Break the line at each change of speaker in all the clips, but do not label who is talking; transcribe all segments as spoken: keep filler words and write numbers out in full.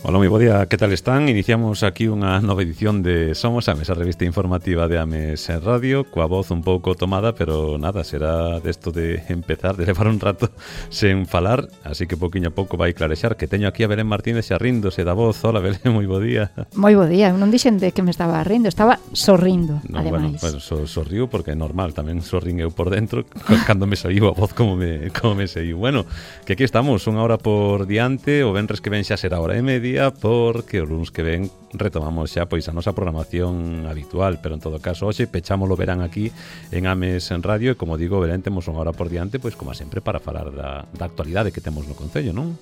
Hola, moi bo día, que tal están? Iniciamos aquí unha nova edición de Somos Ames, a revista informativa de Ames en Radio, coa voz un pouco tomada, pero nada, será desto de empezar, de levar un rato sen falar, así que pouquiño a pouco vai clarexar, que teño aquí a Belén Martínez xa ríndose da voz. Hola, Belén, moi bo día.
Moi bo día, non dixen de que me estaba rindo, estaba sorrindo,
no,
ademais.
Bueno, bueno so, sorriu porque é normal, tamén sorrín eu por dentro, cando me saiu a voz como me, como me saiu. Bueno, que aquí estamos, unha hora por diante, o venres que ven xa será hora e media, porque o luns que ven retomamos xa pois a nosa programación habitual, pero en todo caso hoxe pechámolo verán aquí en Ames en Radio e como digo, verán, temos unha hora por diante, pois como sempre para falar da, da actualidade que temos no Concello, non?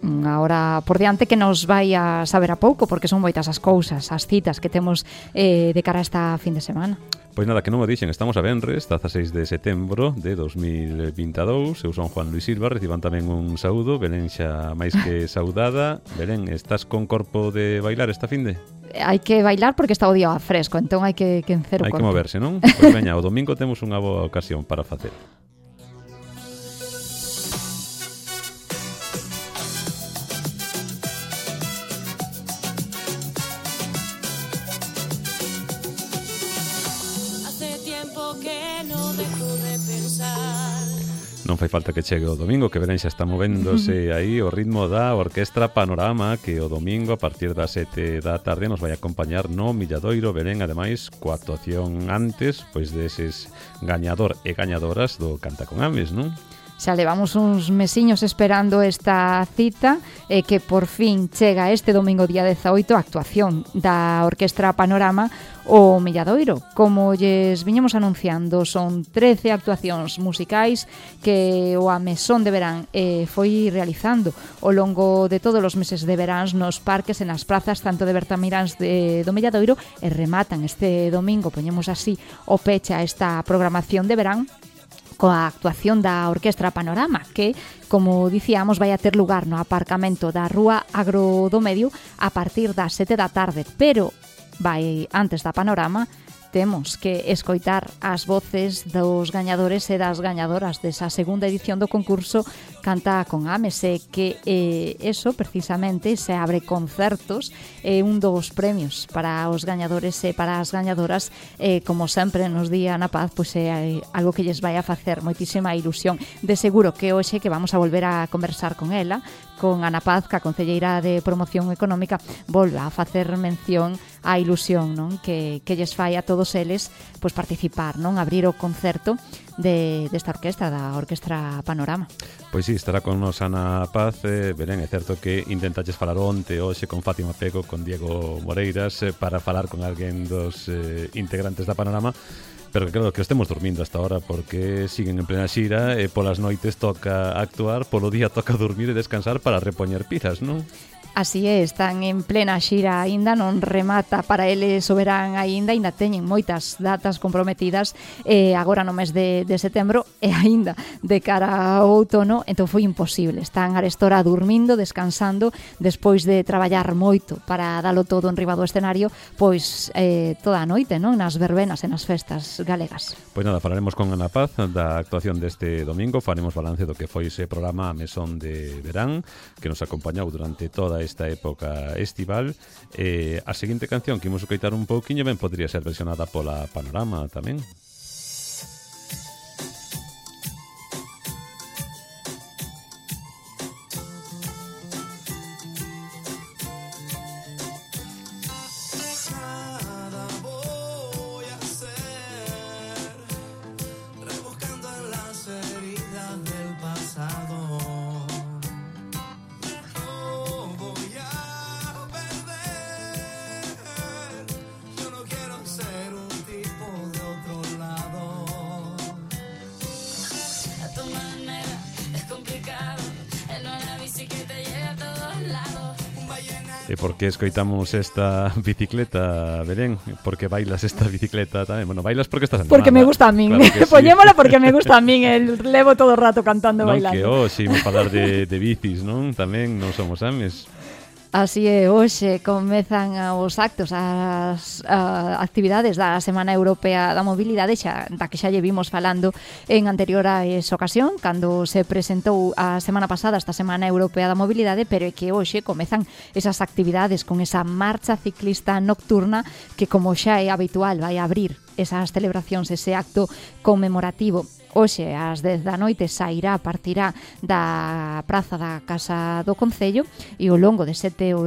Unha hora por diante que nos vai a saber a pouco, porque son moitas as cousas, as citas que temos eh, de cara a esta fin de semana.
Pois nada, que non o dixen, estamos a venres, dezaseis de setembro de dos mil vinte e dous. Eu son Juan Luis Silva, reciban tamén un saúdo. Belén xa máis que saudada. Belén, estás con corpo de bailar esta finde?
Hai que bailar porque está o día fresco, entón hai que quencer o
corpo. Hai que moverse, non? Pois veña, o domingo temos unha boa ocasión para facer. Non fai falta que chegue o domingo, que Belén xa está movéndose aí o ritmo da Orquestra Panorama, que o domingo a partir das sete da tarde nos vai acompañar no Milladoiro. Belén, ademais, coa actuación antes pois deses gañador e gañadoras do Canta con Ames, non?
Xa levamos uns mesiños esperando esta cita e eh, que por fin chega este domingo día dezaoito a actuación da Orquestra Panorama o Milladoiro. Como lles viñemos anunciando, son trece actuacións musicais que o Amesón de Verán eh, foi realizando ao longo de todos os meses de veráns nos parques e nas prazas tanto de Bertamiráns de, do Milladoiro e rematan este domingo, poñemos así o peche a esta programación de verán coa actuación da Orquestra Panorama, que, como dicíamos, vai a ter lugar no aparcamento da Rúa Agro do Medio a partir das sete da tarde, pero vai antes da Panorama. Temos que escoitar as voces dos gañadores e das gañadoras desa segunda edición do concurso Canta con Ames, e que eh, eso, precisamente, se abre concertos, e eh, un dos premios para os gañadores e para as gañadoras, eh, como sempre nos di Ana Paz, pois é eh, algo que lles vai a facer moitísima ilusión. De seguro que hoxe que vamos a volver a conversar con ela, con Ana Paz, que a concelleira de Promoción Económica, volva a facer mención á ilusión, non, que, que lles fai a todos eles pois participar, non, abrir o concerto de desta orquestra, da Orquestra Panorama.
Pois sí, estará con nos Ana Paz. eh, Belén, é certo que intentaches falar onte, hoxe, con Fátima Pego, con Diego Moreiras, eh, para falar con alguén dos eh, integrantes da Panorama, pero que claro, que estemos dormindo hasta ahora porque siguen en plena xira e polas noites toca actuar, polo día toca dormir e descansar para repoñer pilas, non?
Así é, están en plena xira aínda, non remata para eles o verán aínda, aínda teñen moitas datas comprometidas eh, agora no mes de, de setembro e aínda de cara ao outono, entón foi imposible. Están arestora dormindo, descansando, despois de traballar moito para dalo todo en riba do escenario, pois eh, toda a noite, non, nas verbenas e nas festas galegas.
Pois nada, falaremos con Ana Paz da actuación deste domingo, faremos balance do que foi ese programa Mesón de Verán, que nos acompañou durante toda esta época estival. Eh, a seguinte canción que imos escoitar un pouquiño ben podría ser versionada pola Panorama tamén. E por que escoitamos esta bicicleta, Belén? Por que bailas esta bicicleta tamén? Bueno, bailas porque estás animada.
Porque me gusta a min. Claro sí. Poñémola porque me gusta a min. El levo todo o rato cantando e bailando.
Non, que hoxe imos falar de, de bicis, non? Tamén non somos ames.
Así é, hoxe comezan os actos, as a, actividades da Semana Europea da Mobilidade, xa, da que xa lle vimos falando en anteriores ocasión, cando se presentou a semana pasada esta Semana Europea da Mobilidade, pero é que hoxe comezan esas actividades con esa marcha ciclista nocturna que, como xa é habitual, vai abrir esas celebracións, ese acto conmemorativo. Hoxe, ás dez da noite, sairá, partirá da praza da Casa do Concello e ao longo de sete ou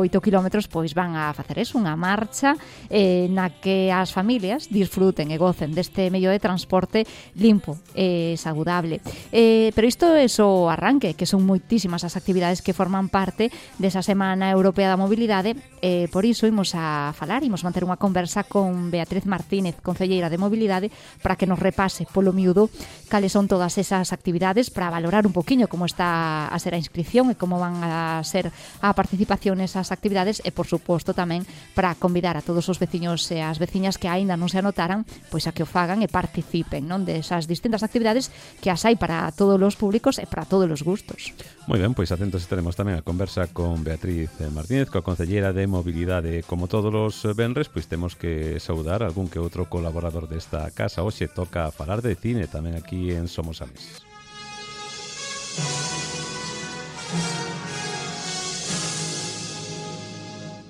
oito kilómetros pois van a facer eso, unha marcha eh, na que as familias disfruten e gocen deste medio de transporte limpo e saudable. Eh, pero isto é só arranque, que son moitísimas as actividades que forman parte desa Semana Europea da Mobilidade. Eh, por iso imos a falar, imos manter unha conversa con Beatriz Martínez, concelleira de Mobilidade, para que nos repase polo miúdo cales son todas esas actividades, para valorar un poquinho como está a ser a inscripción e como van a ser a participación nesas actividades e, por suposto, tamén para convidar a todos os veciños e as veciñas que aínda non se anotaran, pois a que o fagan e participen, non, desas distintas actividades que as hai para todos os públicos e para todos os gustos.
Moi ben, pois atentos estaremos tamén a conversa con Beatriz Martínez, coa concelleira de Mobilidade. Como todos os venres, pois temos que saudar algún que outro colaborador desta casa. Hoxe toca falar de cine tamén aquí en Somos Ames.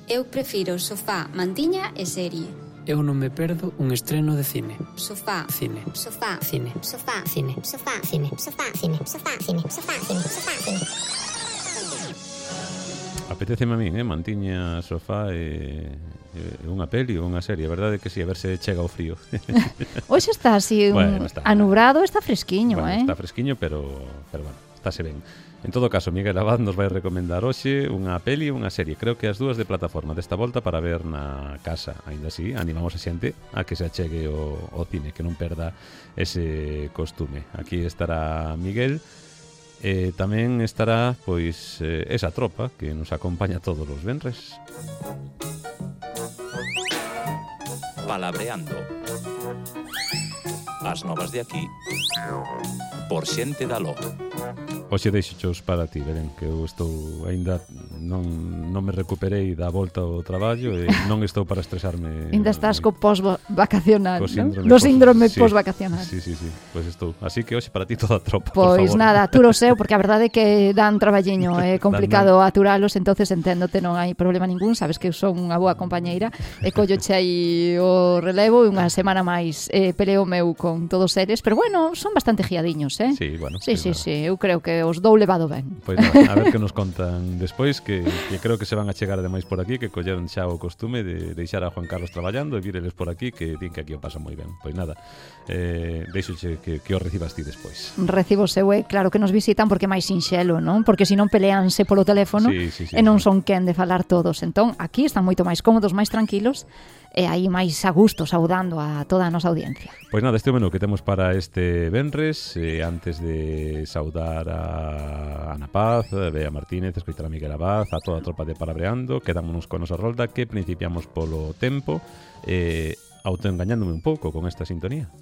Eu prefiro sofá, mantiña e serie.
Eu non me perdo un estreno de cine.
Sofá,
Cine.
sofá,
Cine.
sofá, cine, sofá, cine, sofá, cine, sofá, cine, sofá, cine, sofá, cine.
Apetéceme a min, eh? Mantiña, sofá e... É unha peli ou unha serie, a verdade é que si, sí, a ver se chega o frío.
Hoxe está así un
bueno, está,
anubrado, está fresquiño,
bueno,
eh?
Está fresquiño, pero, pero bueno, estáse ben. En todo caso, Miguel Abad nos vai recomendar hoxe unha peli e unha serie, creo que as dúas de plataforma desta volta para ver na casa. Ainda así, animamos a xente a que se achegue o, o cine, que non perda ese costume. Aquí estará Miguel, e tamén estará pois eh, esa tropa que nos acompaña todos os venres.
Palabreando. As novas de aquí por xente da Lo.
Hoxe deixochos para ti, Belén, que eu estou aínda non, non me recuperei da volta ao traballo e non estou para estresarme.
Ainda estás co pos-vacacional,
co
non?
síndrome
No
pos-
síndrome
sí,
pos-vacacional.
Sí, sí, sí, pois pues estou. Así que hoxe para ti toda a tropa, por
Pois
favor.
nada, tú lo seu, porque a verdade é que dan traballiño, é complicado aturalos, entonces enténdote, non hai problema ningún, sabes que eu son unha boa compañeira e colloche aí o relevo e unha semana máis eh, peleo meu con todos eles, pero bueno, son bastante guiadiños, eh?
Sí, bueno.
Sí, sí,
bueno.
sí, eu creo que os dou levado ben.
Pois nada, a ver que nos contan despois, que, que creo que se van a chegar ademais por aquí, que colleron xa o costume de deixar a Juan Carlos traballando e vireles por aquí, que din que aquí o pasan moi ben. Pois nada, eh, deixoche que, que o recibas ti despois.
Recibo seu, é claro que nos visitan porque é máis sinxelo, non? Porque senón peleanse polo teléfono
Sí, sí, sí,
e non
sí.
son quen de falar todos. Entón, aquí están moito máis cómodos, máis tranquilos e aí máis a gusto saudando a toda a nosa audiencia.
Pois nada, este é o menú que temos para este venres. eh, Antes de saudar a Ana Paz, a Bea Martínez, escoitar a Miguel Abad, a toda a tropa de Palabreando, quedámonos con nosa rolda, que principiamos polo tempo, eh, autoengañándome un pouco con esta sintonía.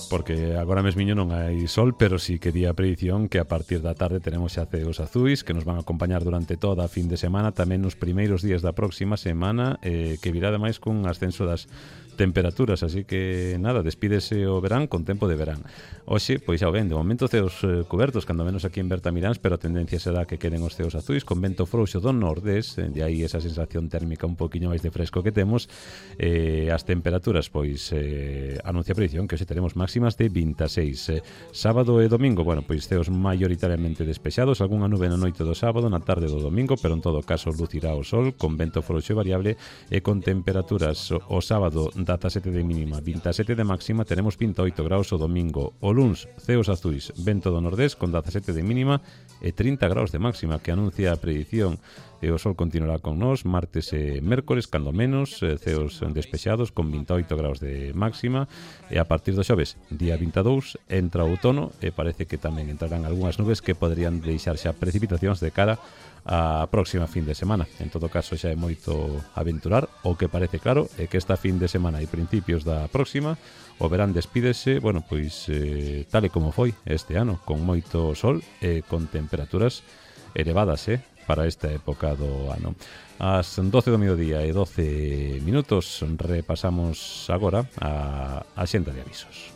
Porque agora mesmiño non hai sol, pero sí que di a predición que a partir da tarde tenemos xa ceos azuis que nos van a acompañar durante toda a fin de semana, tamén nos primeiros días da próxima semana, eh, que virá ademais cun ascenso das temperaturas, así que nada, despídese o verán con tempo de verán. Hoxe, pois xa o ven, de momento ceos eh, cobertos, cando menos aquí en Bertamiráns, pero a tendencia será que queden os ceos azuis, con vento frouxo do nordés, eh, de aí esa sensación térmica un poquinho máis de fresco que temos, eh, as temperaturas, pois, eh, anuncia a predición que hoxe teremos máximas de vinte e seis. Eh, sábado e domingo, bueno, pois ceos maioritariamente despexados, algunha nube na noite do sábado, na tarde do domingo, pero en todo caso lucirá o sol, con vento frouxo e variable, e con temperaturas o, o sábado dezasete de mínima, vinte e sete de máxima, teremos vinte e oito graus o domingo. O luns, ceos azuis, vento do nordés con dezasete de mínima e trinta graus de máxima, que anuncia a predición e o sol continuará con nós martes e mércores, cando menos, eh, ceos despexados con vinte e oito graus de máxima, e a partir do xoves, día vinte e dous, entra o outono e parece que tamén entrarán algunhas nubes que poderían deixar xa precipitacións de cara a próxima fin de semana. En todo caso, xa é moito aventurar. O que parece claro é que esta fin de semana e principios da próxima o verán despídese, bueno, pois eh, tal e como foi este ano, con moito sol e con temperaturas elevadas, eh, para esta época do ano. Ás doce do mediodía e doce minutos repasamos agora a axenda de avisos.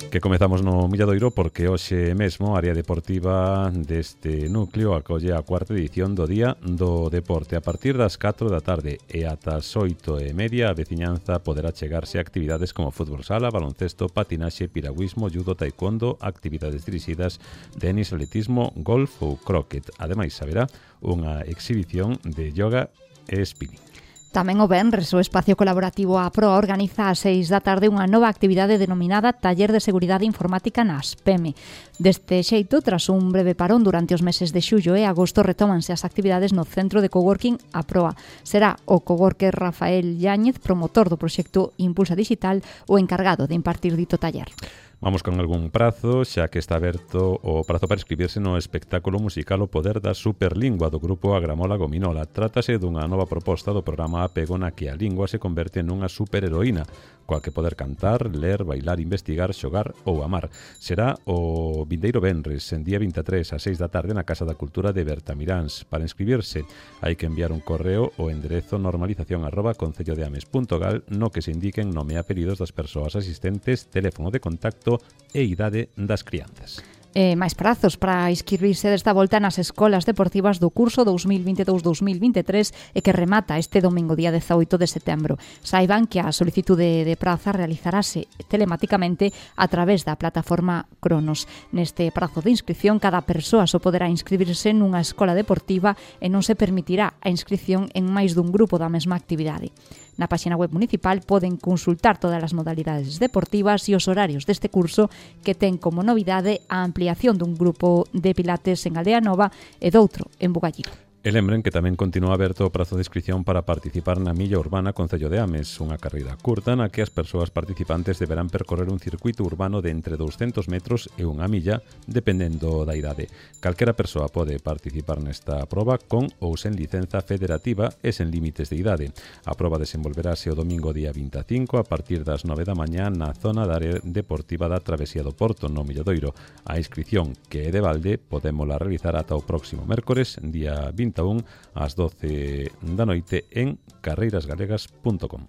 Que comezamos no Milladoiro porque hoxe mesmo a área deportiva deste núcleo acolle a cuarta edición do Día do Deporte. A partir das catro da tarde e ata as oito e media a veciñanza poderá chegarse a actividades como fútbol sala, baloncesto, patinaxe, piragüismo, judo, taekwondo, actividades dirixidas, tenis, atletismo, golf ou croquet. Ademais, haberá unha exhibición de yoga e spinning.
Tamén o venres, o espacio colaborativo A Proa organiza ás seis da tarde unha nova actividade denominada Taller de Seguridade Informática na ASPEME. Deste xeito, tras un breve parón durante os meses de xullo e agosto, retómanse as actividades no Centro de Coworking A Proa. Será o coworker Rafael Yáñez, promotor do proxecto Impulsa Digital, o encargado de impartir dito taller.
Vamos con algún prazo, xa que está aberto o prazo para inscribirse no espectáculo musical O Poder da Superlingua do grupo Agramola Gominola. Trátase dunha nova proposta do programa Apego na que a lingua se converte nunha superheroína, coa que poder cantar, ler, bailar, investigar, xogar ou amar. Será o vindeiro venres, en día vinte e tres, ás seis da tarde, na Casa da Cultura de Bertamiráns. Para inscribirse, hai que enviar un correo ao enderezo normalización arroba concellodeames punto gal no que se indiquen nome e apelidos das persoas asistentes, teléfono de contacto e idade das crianzas.
Eh, máis prazos para inscribirse desta volta nas escolas deportivas do curso dous mil vinte e dous dous mil vinte e tres e que remata este domingo día dezaoito de setembro. Saiban que a solicitude de praza realizarase telemáticamente a través da plataforma Cronos. Neste prazo de inscripción, cada persoa só poderá inscribirse nunha escola deportiva e non se permitirá a inscripción en máis dun grupo da mesma actividade. Na páxina web municipal poden consultar todas as modalidades deportivas e os horarios deste curso, que ten como novidade a ampliación dun grupo de pilates en Aldea Nova e doutro en Bugallido.
E lembren que tamén continúa aberto o prazo de inscripción para participar na Milla Urbana Concello de Ames, unha carreira curta na que as persoas participantes deberán percorrer un circuito urbano de entre douscentos metros e unha milla, dependendo da idade. Calquera persoa pode participar nesta proba con ou sen licenza federativa e sen límites de idade. A proba desenvolverase o domingo día vinte e cinco a partir das nove da mañá na zona da área deportiva da Travesía do Porto, no Milladoiro. A inscripción, que é de balde, podémola realizar ata o próximo mércores, día vinte e un, ás doce da noite en carreiras galegas punto com.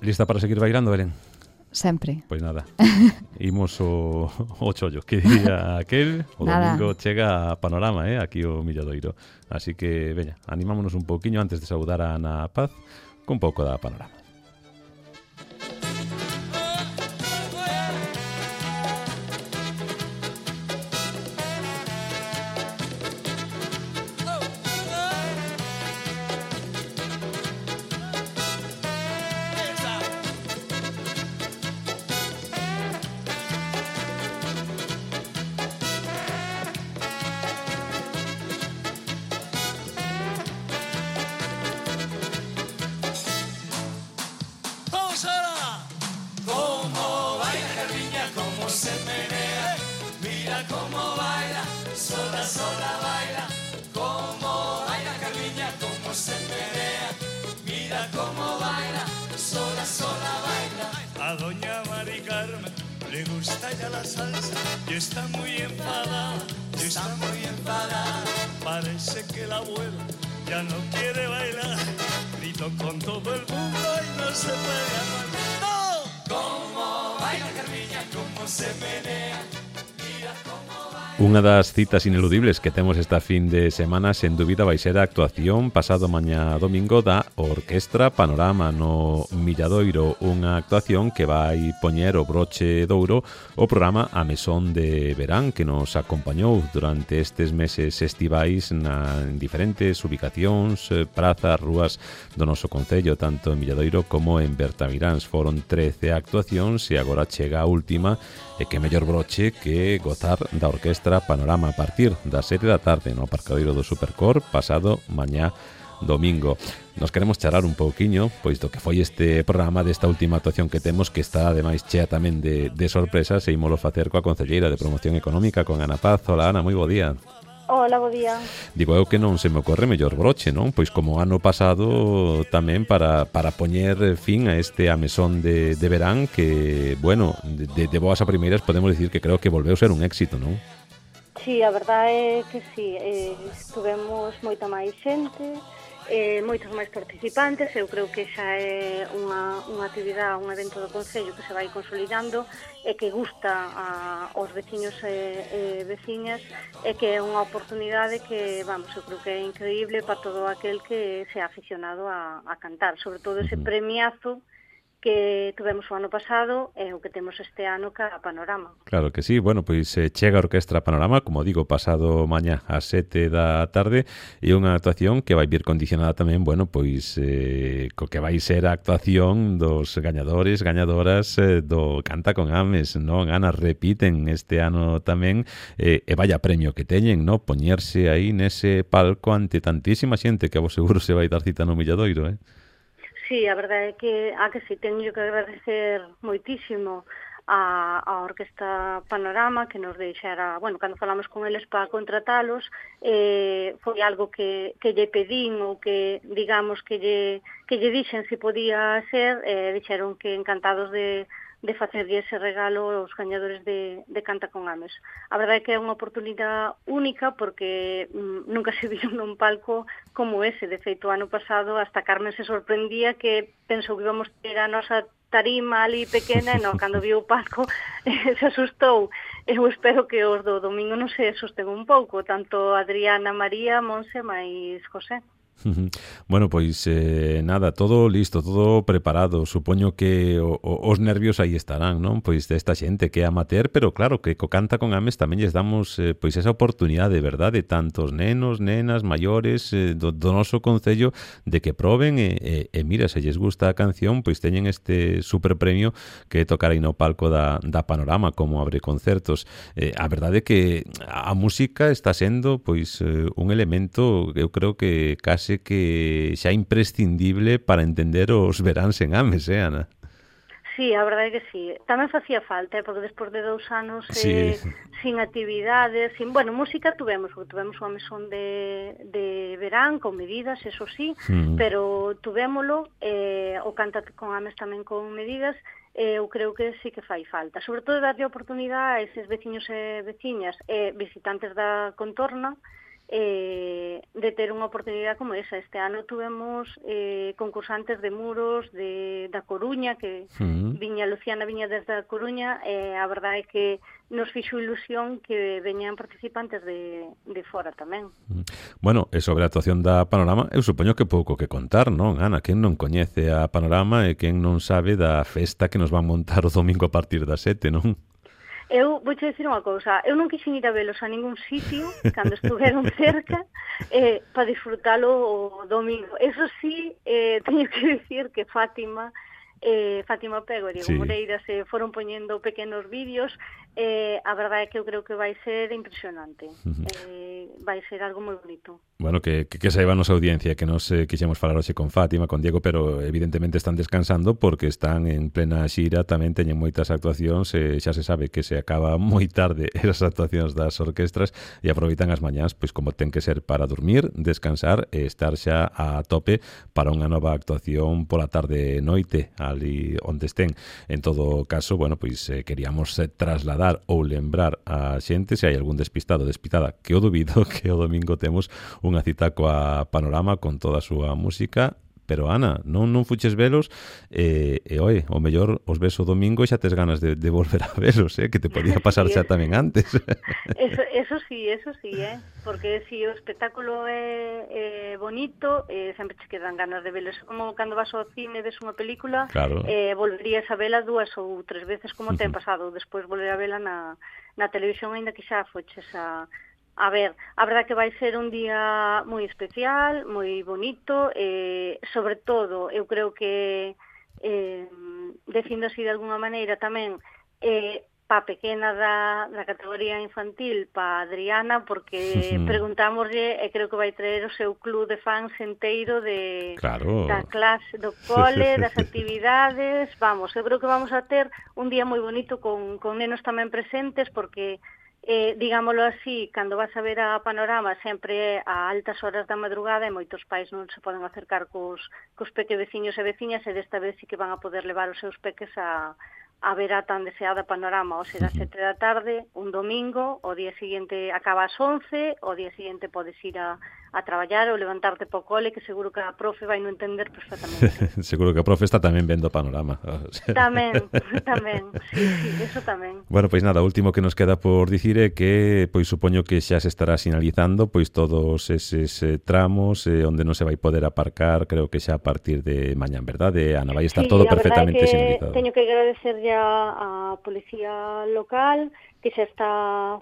Lista para seguir bailando, Belén?
Sempre.
Pois nada, imos o, o chollo, que diría aquel, o
Nada.
domingo chega a Panorama, eh, aquí o Milladoiro. Así que, veña, animámonos un pouquiño antes de saudar a Ana Paz con pouco da Panorama.
A doña Mari Carmen le gusta ya la salsa y está muy enfadada, y está muy enfadada. Parece que la abuela ya no quiere bailar, grito con todo el mundo y no se puede aguantar. ¡No! Cómo baila Carmiña, cómo se menea, mira cómo baila.
Unha das citas ineludibles que temos esta fin de semana, sen dúbida, vai ser a actuación pasado mañá domingo da Orquestra Panorama no Milladoiro, unha actuación que vai poñer o broche douro o programa A Mesón de Verán, que nos acompañou durante estes meses estivais na, en diferentes ubicacións, prazas, rúas do noso concello, tanto en Milladoiro como en Bertamiráns. Foron trece actuacións e agora chega a última, e que mellor broche que gozar da Orquestra Panorama a partir das sete da tarde no Aparcadoiro do Supercor pasado mañá domingo. Nos queremos charar un pouquiño pois do que foi este programa desta última actuación que temos, que está ademais chea tamén de, de sorpresas, e ímolo facer coa concelleira de Promoción Económica, con Ana Paz. Hola, Ana, moi bo día.
Hola, bo día.
Digo eu que non se me ocorre mellor broche, non? Pois como ano pasado tamén para, para poñer fin a este A Mesón de, de Verán que, bueno, de, de boas a primeiras podemos dicir que creo que volveu ser un éxito, non?
Sí, a verdade é que sí, eh, tuvemos moita máis xente, eh, moitos máis participantes. Eu creo que xa é unha, unha actividade, un evento do Concello que se vai consolidando e que gusta a, aos veciños e, e veciñas, e que é unha oportunidade que, vamos, eu creo que é increíble para todo aquel que se ha aficionado a, a cantar, sobre todo ese premiazo que tuvemos o ano pasado e o que temos este ano ca Panorama.
Claro que sí. Bueno, pois eh, chega a Orquestra Panorama, como digo, pasado mañá ás sete da tarde, e unha actuación que vai vir condicionada tamén, bueno, pois eh, co que vai ser a actuación dos gañadores, gañadoras eh, do Canta con Ames, non? Ana, repiten este ano tamén, eh, e vaya premio que teñen, non? Poñerse aí nese palco ante tantísima xente que a vos seguro se vai dar cita no Milladoiro, eh?
Sí, a verdade é que, a que sí, teño que agradecer moitísimo a, a Orquestra Panorama que nos deixara, bueno, cando falamos con eles para contratalos, eh, foi algo que, que lle pedín ou que, digamos, que lle, que lle dixen se podía ser, eh, dixeron que encantados de de facerlle ese regalo aos gañadores de, de Canta con Ames. A verdade é que é unha oportunidade única porque mm, nunca se viu nun palco como ese. De feito, o ano pasado hasta Carmen se sorprendía que pensou que íbamos ter a nosa tarima ali pequena e non, cando viu o palco se asustou. Eu espero que os do domingo non se asusten un pouco, tanto Adriana, María, Monse, máis José.
Bueno, pois eh, nada, todo listo, todo preparado. Supoño que o, o, os nervios aí estarán, non? Pois desta xente que é amateur, pero claro que co Canta con Ames tamén lles damos eh, pois esa oportunidade, verdade, tantos nenos, nenas, maiores eh, do, do noso concello, de que proben e, e, e mira, se lles gusta a canción, pois teñen este super premio que é tocar aí no palco da, da Panorama como abre concertos. Eh, a verdade é que a música está sendo pois eh, un elemento, eu creo que case que xa imprescindible para entender os veráns en Ames, eh, Ana?
Sí, a verdade é que sí. Tamén facía falta, eh, porque despois de dous anos
sí.
eh, sin actividades, sin, bueno, música tuvemos, tuvemos unha mesón de, de verán con medidas, eso sí, mm. pero tuvémolo, eh, o Canta con Ames tamén con medidas, eh, eu creo que sí que fai falta. Sobre todo darlle oportunidade a eses veciños e veciñas e visitantes da contorna, Eh, de ter unha oportunidade como esa. Este ano tuvemos eh, concursantes de muros de, da Coruña, que mm. viña Luciana viña desde a Coruña, e eh, a verdade é que nos fixo ilusión que veñan participantes de, de fora tamén.
Bueno, e sobre a actuación da Panorama, eu supoño que pouco que contar, non, Ana? Quen non coñece a Panorama e quen non sabe da festa que nos van montar o domingo a partir das sete, non?
Eu vou te dicir unha cousa, eu non quixen ir a velos a ningún sitio cando estuveron cerca eh, para disfrutalo o domingo. Eso sí, eh, teño que dicir que Fátima, eh, Fátima Pego e Diego sí. Moreira se foron poñendo pequenos vídeos. Eh, a verdade é que eu creo que vai ser impresionante. Uh-huh. eh, vai ser algo moi bonito.
Bueno, que, que, que saiba a nosa audiencia que nos eh, quixemos falar hoxe con Fátima, con Diego, pero evidentemente están descansando porque están en plena xira, tamén teñen moitas actuacións, e xa se sabe que se acaba moi tarde esas actuacións das orquestras e aproveitan as mañás, pois como ten que ser, para dormir, descansar e estar xa a tope para unha nova actuación pola tarde e noite ali onde estén. En todo caso, bueno, pois eh, queríamos eh, trasladar ou lembrar a xente, se hai algún despistado, despistada, que o dubido, que o domingo temos unha cita coa Panorama con toda a súa música, pero Ana, non non fuches velos e, e oi, o mellor os ves o domingo e xa tes ganas de, de volver a velos, eh? Que te podía pasar
sí,
xa tamén antes.
Eso, eso sí, eso sí, eh? Porque si o espectáculo é, é bonito, eh, sempre te quedan ganas de velos. Como cando vas ao cine ves unha película,
claro.
eh, volverías a vela dúas ou tres veces como te uh-huh. pasado, despois volver a vela na, na televisión, aínda que xa foches a... A ver, a verdad que vai ser un día moi especial, moi bonito, eh, sobre todo, eu creo que, eh, dicindo así de alguna maneira tamén, eh, pa pequena da, da categoría infantil, pa Adriana, porque uh-huh. preguntámoslle, e creo que vai traer o seu club de fans enteiro de,
claro.
da clase, do cole, das actividades, vamos, eu creo que vamos a ter un día moi bonito con, con nenos tamén presentes, porque... Eh, digámoslo así, cando vas a ver a Panorama sempre a altas horas da madrugada e moitos pais non se poden acercar cos, cos peque veciños e veciñas, e desta vez sí que van a poder levar os seus peques a, a ver a tan deseada Panorama, ou será sete da tarde, un domingo, o día seguinte acaba ás once, o día seguinte podes ir a, a traballar ou levantarte po cole, que seguro que a profe vai non entender perfectamente.
Seguro que a profe está tamén vendo Panorama.
Tamén, tamén, sí, sí, eso tamén.
Bueno, pois nada, o último que nos queda por dicir é que, pois supoño que xa se estará sinalizando pois todos eses eh, tramos eh, onde non se vai poder aparcar, creo que xa a partir de mañán, verdade, Ana? Vai estar
Sí,
todo
a
perfectamente
verdade é que
sinalizado.
Teño que agradecer ya a Policía Local, que xa está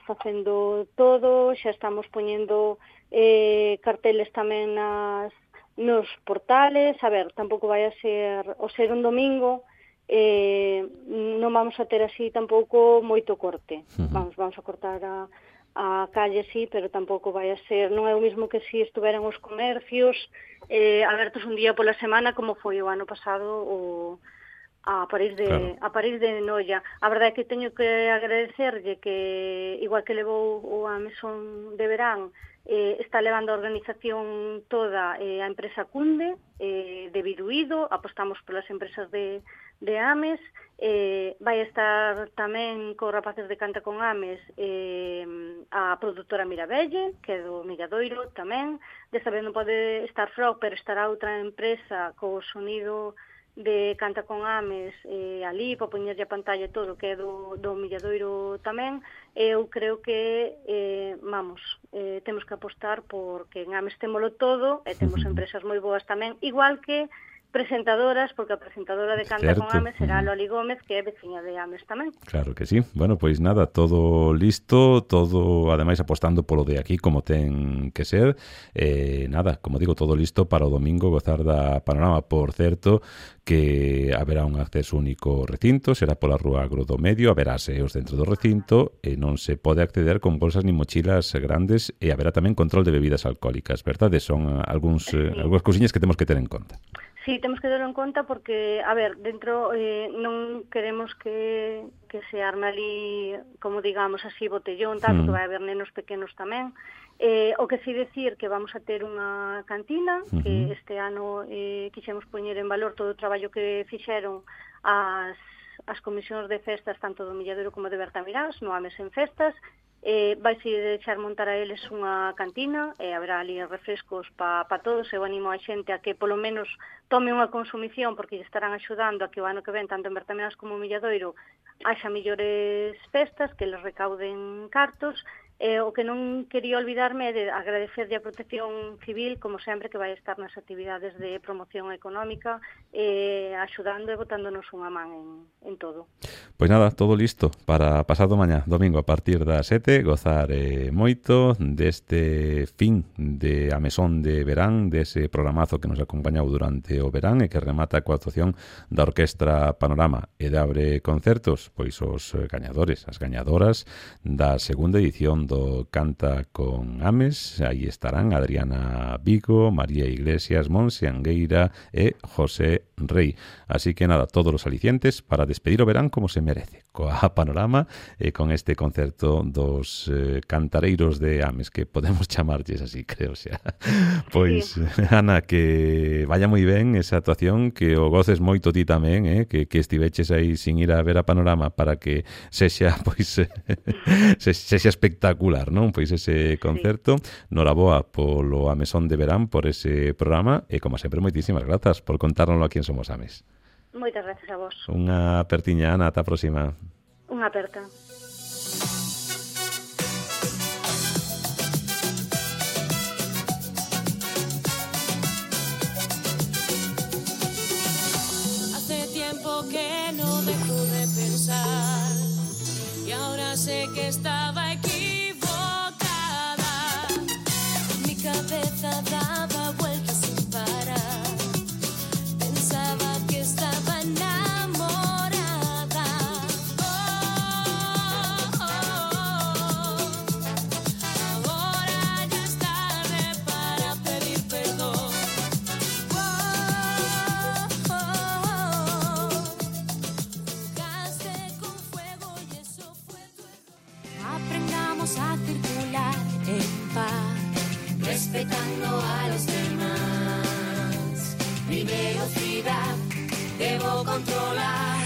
facendo todo, xa estamos poñendo eh, carteles tamén nas, nos portales. A ver, tampouco vai a ser, o ser un domingo, eh, non vamos a ter así tampouco moito corte. Uh-huh. Vamos, vamos a cortar a, a calle, sí, pero tampouco vai a ser, non é o mismo que si estuveran os comercios eh, abertos un día pola semana, como foi o ano pasado o a París de claro. a París de Noia. A verdade é que teño que agradecerlle que, igual que levou o a mesón de verán, eh, está levando a organización toda eh, a empresa Cunde, eh, de Biduído, apostamos polas empresas de, de Ames, eh, vai estar tamén co rapaces de Canta con Ames eh, a produtora Mirabelle, que é do Milladoiro tamén. Desta vez non pode estar Frog, pero estará outra empresa co sonido de Canta con Ames eh, ali, para poñerlle a pantalla e todo, que é do, do Milladoiro tamén. Eu creo que, eh, vamos, eh, temos que apostar porque en Ames témolo todo e temos empresas moi boas tamén, igual que presentadoras, porque a presentadora de Canta certo. Con Ames será Loli Gómez, que é veciña de Ames tamén.
Claro que sí. Bueno, pois nada, todo listo, todo, ademais, apostando polo de aquí, como ten que ser. Eh, nada, como digo, todo listo para o domingo gozar da Panorama. Por certo, que haberá un acceso único ao recinto, será pola Rúa Agro do Medio, haberá seos dentro do recinto e non se pode acceder con bolsas ni mochilas grandes e haberá tamén control de bebidas alcohólicas, verdade? Son algúns, sí. eh, algúns cousiñas que temos que ter en conta.
Sí, temos que ter en conta porque, a ver, dentro eh, non queremos que, que se arme ali, como digamos así, botellón, tal, mm. porque vai haber nenos pequenos tamén. Eh, o que sí decir que vamos a ter unha cantina, uh-huh. que este ano eh, quixemos poñer en valor todo o traballo que fixeron as, as comisións de festas, tanto do Milladoiro como de Bertamirás, no Ames en Festas. Eh, vaise deixar montar a eles unha cantina e haberá ali refrescos para pa todos. Eu animo a xente a que polo menos tome unha consumición, porque lle estarán axudando a que o ano que ven, tanto en Bertamirás como en Milladoiro, haxa millores festas, que les recauden cartos. Eh, o que non quería olvidarme é de agradecerlle a Protección Civil, como sempre, que vai estar nas actividades de promoción económica, eh, axudando e botándonos unha man en, en todo.
Pois nada, todo listo para pasado mañá, domingo, a partir das sete, gozar eh, moito deste fin de a mesón de verán, dese programazo que nos acompañou durante o verán e que remata coa actuación da Orquestra Panorama e de abre concertos, pois os gañadores, as gañadoras da segunda edición do Canta con Ames. Aí estarán Adriana Vigo, María Iglesias, Monse Angueira e José Rei. Así que nada, todos os alicientes para despedir o verán como se merece, coa Panorama e con este concerto dos eh, cantareiros de Ames, que podemos chamarlles así, creo xa. Pois, sí. Ana, que vaya moi ben esa actuación, que o goces moito ti tamén, eh? que, que estiveches aí sin ir a ver a Panorama para que sexa, pois, se, sexa espectacular, non? Pois ese concerto. Sí. Noraboa polo Amesón de Verán, por ese programa, e como sempre, moitísimas grazas por contárnoslo aquí en Somos Ames.
Moitas gracias a vos.
Unha apertiña, Ana, ata a próxima.
Unha aperta.
Hace tiempo que no dejo de pensar y ahora sé que estaba equivocada. Mi cabeza daba vueltas sin parar. Pensaba que estaba enamorada. Oh, oh, oh. Ahora ya es tarde para pedir perdón. Oh, oh, oh. Jugaste con fuego y eso fue tu error. Aprendamos a circular en paz, respetando a los demás. Mi velocidad debo controlar.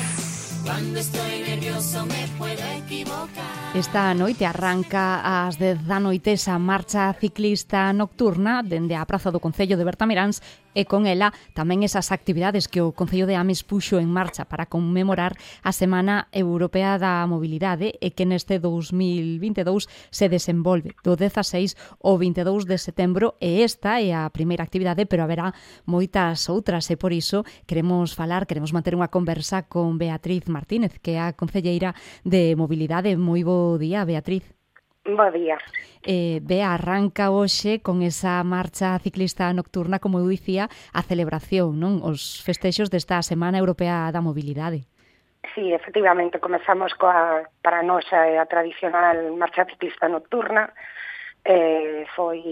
Cuando estoy nervioso me puedo equivocar.
Esta noite arranca ás dez da noite esa marcha ciclista nocturna dende a Praza do Concello de Bertamiráns e con ela tamén esas actividades que o Concello de Ames puxo en marcha para conmemorar a Semana Europea da Mobilidade e que neste dous mil vinte e dous se desenvolve do dezaseis ao vinte e dous de setembro, e esta é a primeira actividade, pero haberá moitas outras, e por iso queremos falar, queremos manter unha conversa con Beatriz Martínez, que é a concelleira de Mobilidade. Moi bo día, Beatriz.
Bo día.
Eh, Bea, arranca hoxe con esa marcha ciclista nocturna, como eu dicía, a celebración, non? Os festexos desta Semana Europea da Mobilidade.
Sí, efectivamente, comezamos coa, para nós, a tradicional marcha ciclista nocturna. Eh, foi,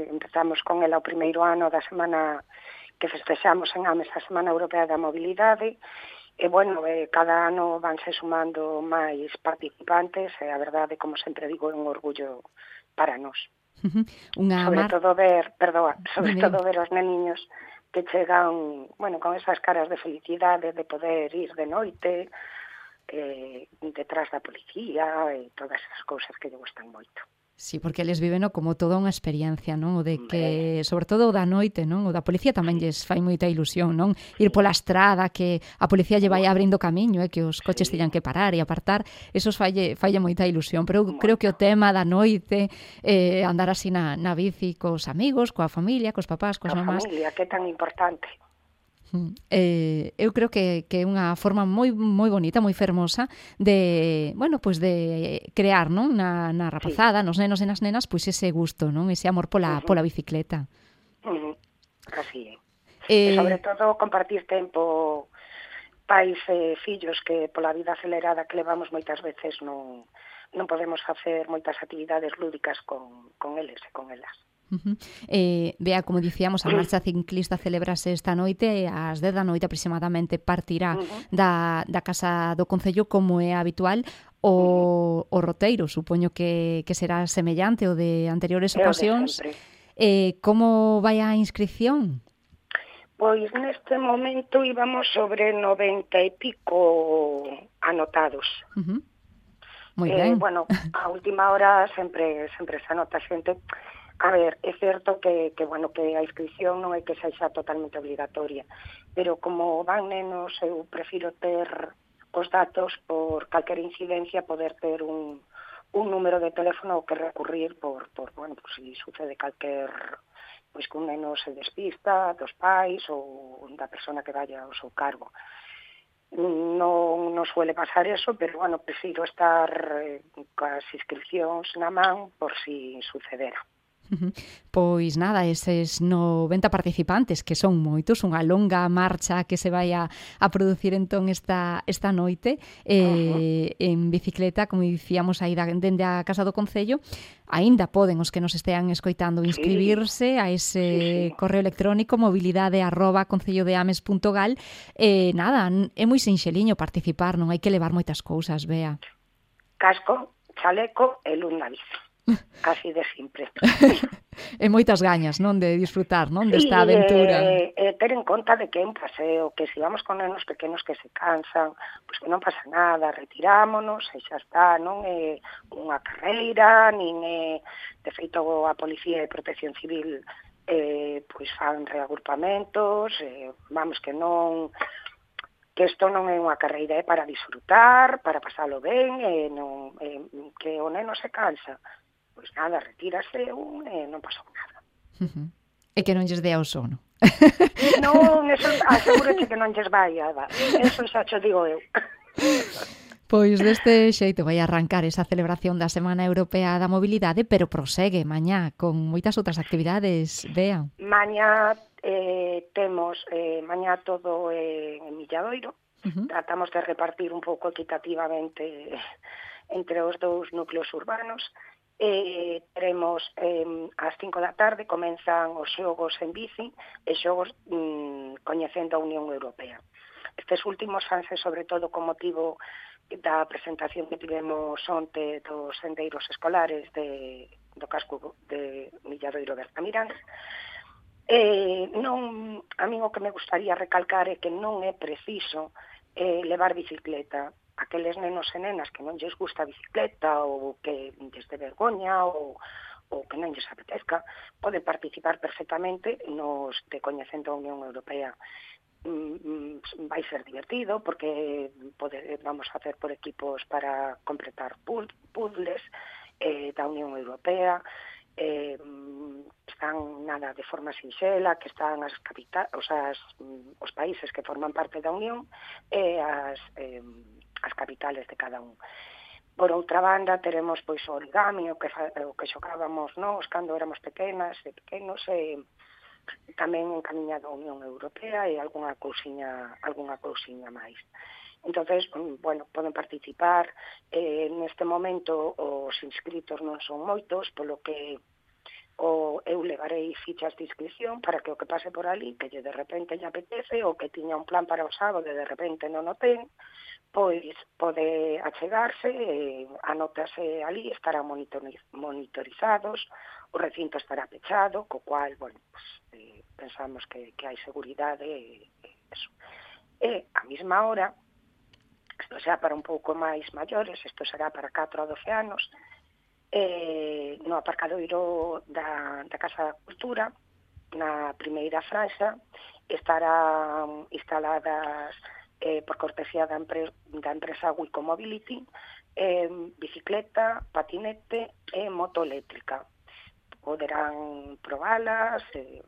empezamos con ela o primeiro ano da semana que festexamos en Ames, a Semana Europea da Mobilidade. E, bueno, eh, cada ano vanse sumando máis participantes e, a verdade, como sempre digo, é un orgullo para nós.
Uh-huh. Unha
sobre
mar...
todo ver, perdoa, sobre
Dime.
todo ver os neniños que chegan, bueno, con esas caras de felicidade de poder ir de noite eh, detrás da policía e todas esas cousas que lle gustan moito.
Sí, porque eles viven como toda unha experiencia, non? O de que, sobre todo o da noite, non? O da policía tamén lles fai moita ilusión, non? Ir pola estrada, que a policía lle vai abrindo camiño, eh? Que os coches teñan que parar e apartar, esos falle, falle moita ilusión. Pero eu creo que o tema da noite, eh, andar así na, na bici cos amigos, coa familia, cos papás, coas mamás...
A familia, que é tan importante.
Eh, eu creo que, que é unha forma moi moi bonita, moi fermosa de, bueno, pues de crear, non, na, na rapazada, sí, nos nenos e nas nenas, pois pues ese gusto, non, ese amor pola, uh-huh. pola bicicleta.
Uh-huh. Así é.
Eh...
E sobre todo compartir tempo pais e fillos, que pola vida acelerada que levamos moitas veces non, non podemos facer moitas actividades lúdicas con, con eles e con elas.
Uh-huh. Eh, Bea, como dicíamos, a marcha ciclista celebrase esta noite, ás dez da noite aproximadamente partirá uh-huh. da, da Casa do Concello, como é habitual. O, uh-huh. o roteiro, supoño que, que será semellante ao de anteriores ocasións. Eh, como vai a inscripción?
Pois neste momento íbamos sobre noventa e pico anotados.
Uh-huh. Moi
eh,
ben.
Bueno, a última hora sempre sempre se anota xente. A ver, é certo que, que, bueno, que a inscripción non é que sexa totalmente obligatoria, pero como van nenos, eu prefiro ter os datos por calquer incidencia, poder ter un, un número de teléfono ao que recurrir por, por bueno, por si sucede calquer, pois que un neno se despista dos pais ou da persona que vaya ao seu cargo. Non, non suele pasar eso, pero, bueno, prefiro estar eh, coas inscripcións na man por si sucedera.
Pois nada, eses noventa participantes, que son moitos, unha longa marcha que se vai a, a producir entón esta, esta noite eh, en bicicleta, como dicíamos aí da, dende a Casa do Concello. Aínda poden os que nos estean escoitando inscribirse a ese sí, sí. correo electrónico mobilidade arroba concellodeames punto gal. E eh, nada, é moi sinxeliño participar, non hai que levar moitas cousas, Bea.
Casco, chaleco e luz na bici. Así de simple.
E moitas gañas, non, de disfrutar, non,
sí,
desta aventura.
E, e ter en conta de que é un paseo, que se vamos con nenos pequenos que se cansan, pois que non pasa nada, retirámonos e xa está, non é unha carreira, nin é, de feito, a Policía de Protección Civil eh, pois fan reagrupamentos, eh, vamos, que non... que isto non é unha carreira, é para disfrutar, para pasalo ben, e non, eh, que o neno se cansa. Pois nada, retírase un e non pasou nada.
Uh-huh. E que non lles dea o sono.
Non, eso asegúrate que non lles vai a dar. Eso xa cho digo eu.
Pois deste xeito vai arrancar esa celebración da Semana Europea da Mobilidade, pero prosegue mañá con moitas outras actividades, Bea.
Mañá eh, temos, eh, mañá todo eh, en Milladoiro. Uh-huh. Tratamos de repartir un pouco equitativamente entre os dous núcleos urbanos. Eh, teremos eh, ás cinco da tarde comenzan os xogos en bici e xogos mm, coñecendo a Unión Europea. Estes últimos fanse sobre todo con motivo da presentación que tivemos onte dos sendeiros escolares de, do casco de Milladoiro Bertamiráns. Eh, non, a mí o que me gustaría recalcar é que non é preciso eh, levar bicicleta. Aqueles nenos e nenas que non lles gusta a bicicleta ou que lles de vergoña ou, ou que non lles apetezca, poden participar perfectamente nos de Coñecendo a Unión Europea. Mm, vai ser divertido porque pode, vamos a hacer por equipos para completar puzzles eh, da Unión Europea. Eh, están nada de forma sinxela, que están as capitais, os, as, os países que forman parte da Unión e as eh, as capitales de cada un. Por outra banda, teremos pois o origami, o que, o que xocábamos nós cando éramos pequenas e pequenos, e tamén encamiñado a Unión Europea e algunha cousiña, algunha cousiña máis. Entonces, bueno, poden participar. Eh, neste momento os inscritos non son moitos, polo que o eu levarei fichas de inscripción para que o que pase por ali, que lle de repente lle apetece, ou que tiña un plan para o sábado e de repente non o ten, pois pode achegarse, eh, anótase ali, estarán monitorizados, o recinto estará pechado, co cual, bueno, pues, eh, pensamos que, que hai seguridade e eh, eso. E a mesma hora, isto será para un pouco máis maiores, isto será para catro a doce anos, eh, no aparcadoiro da, da Casa da Cultura, na primeira franxa, estarán instaladas eh, por cortesía da, empre da empresa Wico Mobility, eh, bicicleta, patinete e moto eléctrica. Poderán probalas, eh,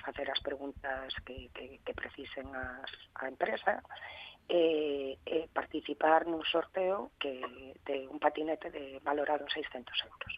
facer as preguntas que, que, que precisen as, a empresa, e, e participar nun sorteo que de un patinete de valorado en seiscentos euros.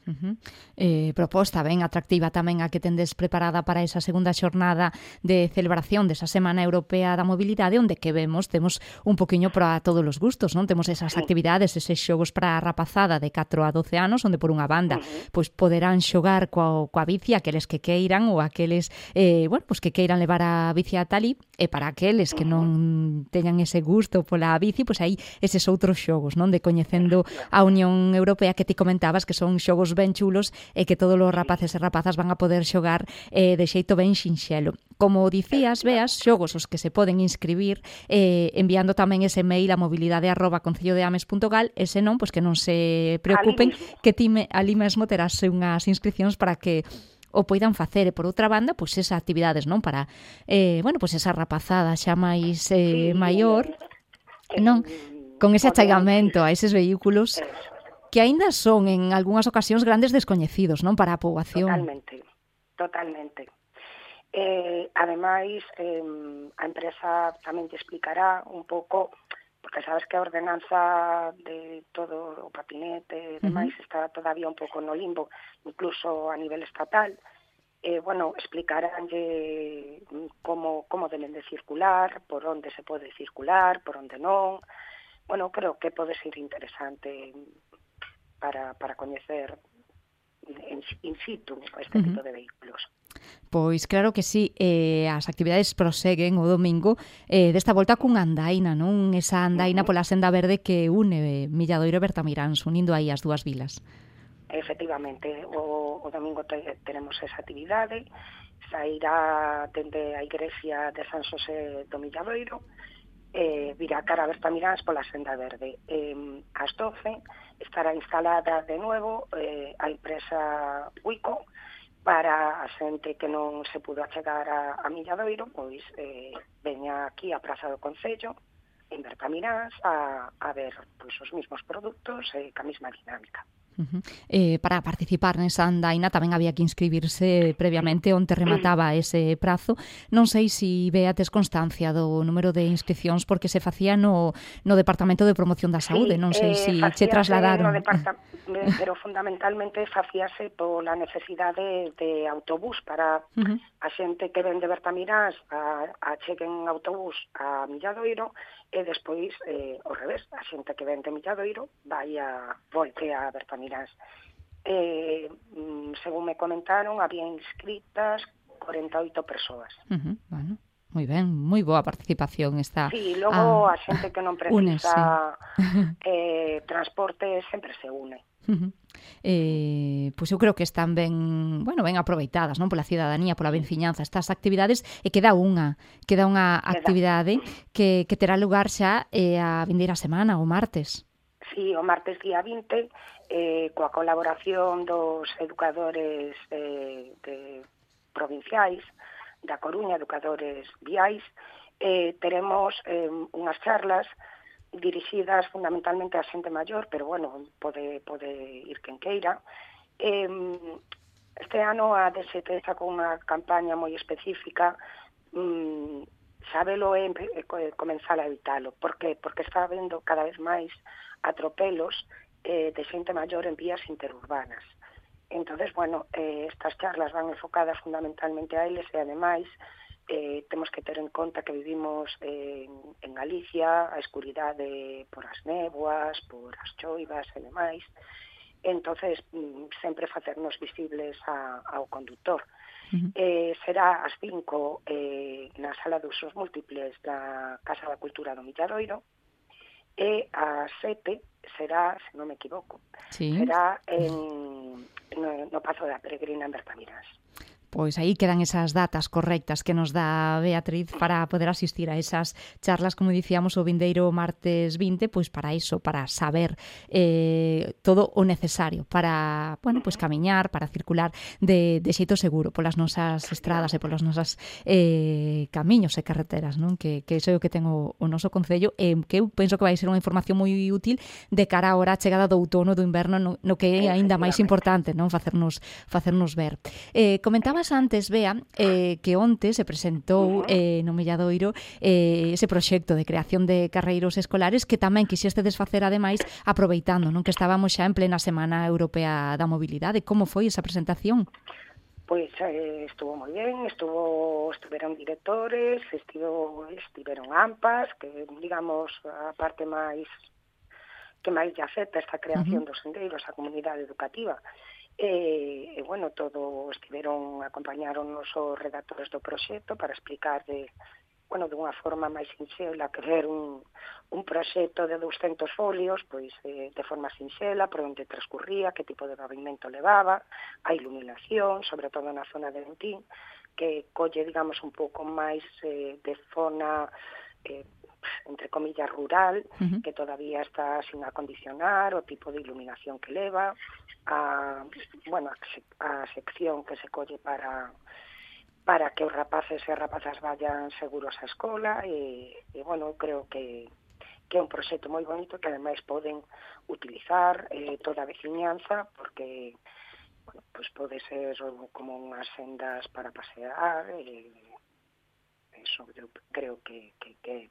Uh-huh. Eh, proposta ben atractiva tamén a que tendes preparada para esa segunda xornada de celebración desa Semana Europea da Mobilidade, onde que vemos, temos un poquinho para todos os gustos, non? Temos esas actividades, eses xogos para a rapazada de catro a doce anos, onde por unha banda uh-huh. pois poderán xogar coa, coa bici aqueles que queiran ou aqueles eh, bueno, pois que queiran levar a bici a talí, e para aqueles que non teñan ese gusto pola bici, pois aí eses outros xogos, non? De Coñecendo a Unión Europea, que ti comentabas que son xogos ben chulos e que todos os rapaces e rapazas van a poder xogar eh, de xeito ben sinxelo. Como dicías, Beas, xogos os que se poden inscribir eh, enviando tamén ese mail a mobilidade arroba concellodeames punto gal, e se non, pois que non se preocupen, que ti me, ali mesmo terás unhas inscripcións para que o poidan facer. E por outra banda, pois esas actividades, non, para eh, bueno, pois esa rapazada xa máis eh, maior, non, con ese achegamento a eses vehículos que aínda son en algunhas ocasións grandes descoñecidos, non, para a poboación.
Totalmente, totalmente. Eh, ademais, eh, a empresa tamén te explicará un pouco porque sabes que a ordenanza de todo o patinete e demais uh-huh. está todavía un pouco no limbo, incluso a nivel estatal. Eh, bueno, explicaránlle como, como deben de circular, por onde se pode circular, por onde non. Bueno, creo que pode ser interesante para, para coñecer in, in situ este uh-huh. tipo de vehículos.
Pois claro que sí, eh, as actividades proseguen o domingo eh, desta volta cunha andaina, non? Esa andaina uh-huh. pola senda verde que une Milladoiro e Bertamiráns, unindo aí as dúas vilas.
Efectivamente, o, o domingo te, tenemos esa actividade, sairá dende a igrexa de San Xosé do Milladoiro, eh, virá cara a Bertamiráns pola senda verde. Eh, ás doce estará instalada de nuevo eh, a empresa Wico para a xente que non se pudo achegar a, a Milladoiro, pois eh, veña aquí a Praza do Concello, en Bertamiráns, a, a ver pois, os mismos produtos e eh, ca mesma dinámica.
Uh-huh. Eh, para participar nesa andaina tamén había que inscribirse previamente onde remataba ese prazo. Non sei se Bea tes constancia do número de inscripcións porque se facía no, no Departamento de Promoción da Saúde, non sei se
eh,
che trasladaron.
No depart- pero fundamentalmente facíase pola necesidade de autobús para uh-huh. a xente que ven de Bertamiráns a, a cheguen autobús a Milladoiro e despois, eh, ao revés, a xente que ven de Milladoiro vai a volte a Bertamiráns. Eh, según me comentaron, había inscritas corenta e oito persoas.
Uh-huh, bueno, moi ben, moi boa participación esta.
Sí, logo
ah,
a xente que non precisa eh, transporte sempre se une.
Uh-huh. Eh, pois eu creo que están ben, bueno, ben aproveitadas, non, pola cidadanía, pola veciñanza estas actividades, e queda unha, queda unha actividade que, que terá lugar xa eh, a vindeira semana, o martes.
Sí, o martes día vinte, eh, coa colaboración dos educadores eh, de provinciais da Coruña, educadores viais, eh, teremos eh, unhas charlas dirixidas fundamentalmente a xente maior, pero bueno, pode, pode ir quen queira. Eh, este ano a D S T está con unha campaña moi específica, mm, sabelo é eh, comenzar a evitalo. Por que? Porque está habendo cada vez máis atropelos eh, de xente maior en vías interurbanas. Entonces, bueno, eh, estas charlas van enfocadas fundamentalmente a eles e ademais Eh, temos que ter en conta que vivimos eh, en Galicia, a escuridade por as néboas, por as choivas e demais. Entonces, mm, sempre facernos visibles a, ao conductor. Uh-huh. Eh, será ás cinco eh, na sala de usos múltiples da Casa da Cultura do Milladoiro e ás sete será, se non me equivoco, sí. será en, no, no Pazo da Peregrina en Bertamiráns.
Pois aí quedan esas datas correctas que nos dá Beatriz para poder asistir a esas charlas, como dicíamos, o vindeiro martes vinte, pois para iso, para saber eh, todo o necesario para, bueno, pois camiñar, para circular de, de xeito seguro polas nosas estradas e polas nosas eh, camiños e carreteras, non? Que, que iso é o que ten o, o noso concello e que eu penso que vai ser unha información moi útil de cara a hora a chegada do outono, do inverno, no, no que é aínda máis importante, non? Facernos, facernos ver. Eh, comentaba antes, Bea, eh, que onte se presentou eh, no Milladoiro eh, ese proxecto de creación de carreiros escolares que tamén quixeste desfacer ademais aproveitando, non, que estábamos xa en plena Semana Europea da Mobilidade. Como foi esa presentación?
Pois eh, estuvo moi ben, estuvo, estiveron directores, estivo, estiveron AMPAs, que digamos a parte máis que máis lle afecta esta creación uh-huh. dos sendeiros á comunidade educativa. E, e bueno, todo estiveron, acompañaron os redactores do proxecto para explicar de, bueno, de unha forma máis sinxela que ver un, un proxecto de douscentos folios, pois eh, de forma sinxela, por onde transcurría, que tipo de pavimento levaba, a iluminación, sobre todo na zona de Ventín, que colle, digamos, un pouco máis eh, de zona eh, entre comillas rural, uh-huh. que todavía está sin acondicionar, o tipo de iluminación que leva, a, bueno, a sección que se colle para para que os rapaces e rapazas vayan seguros á escola e, e bueno, creo que, que é un proxecto moi bonito que ademais poden utilizar eh, toda a veciñanza porque bueno, pues pode ser como unhas sendas para pasear e eso eu creo que, que, que é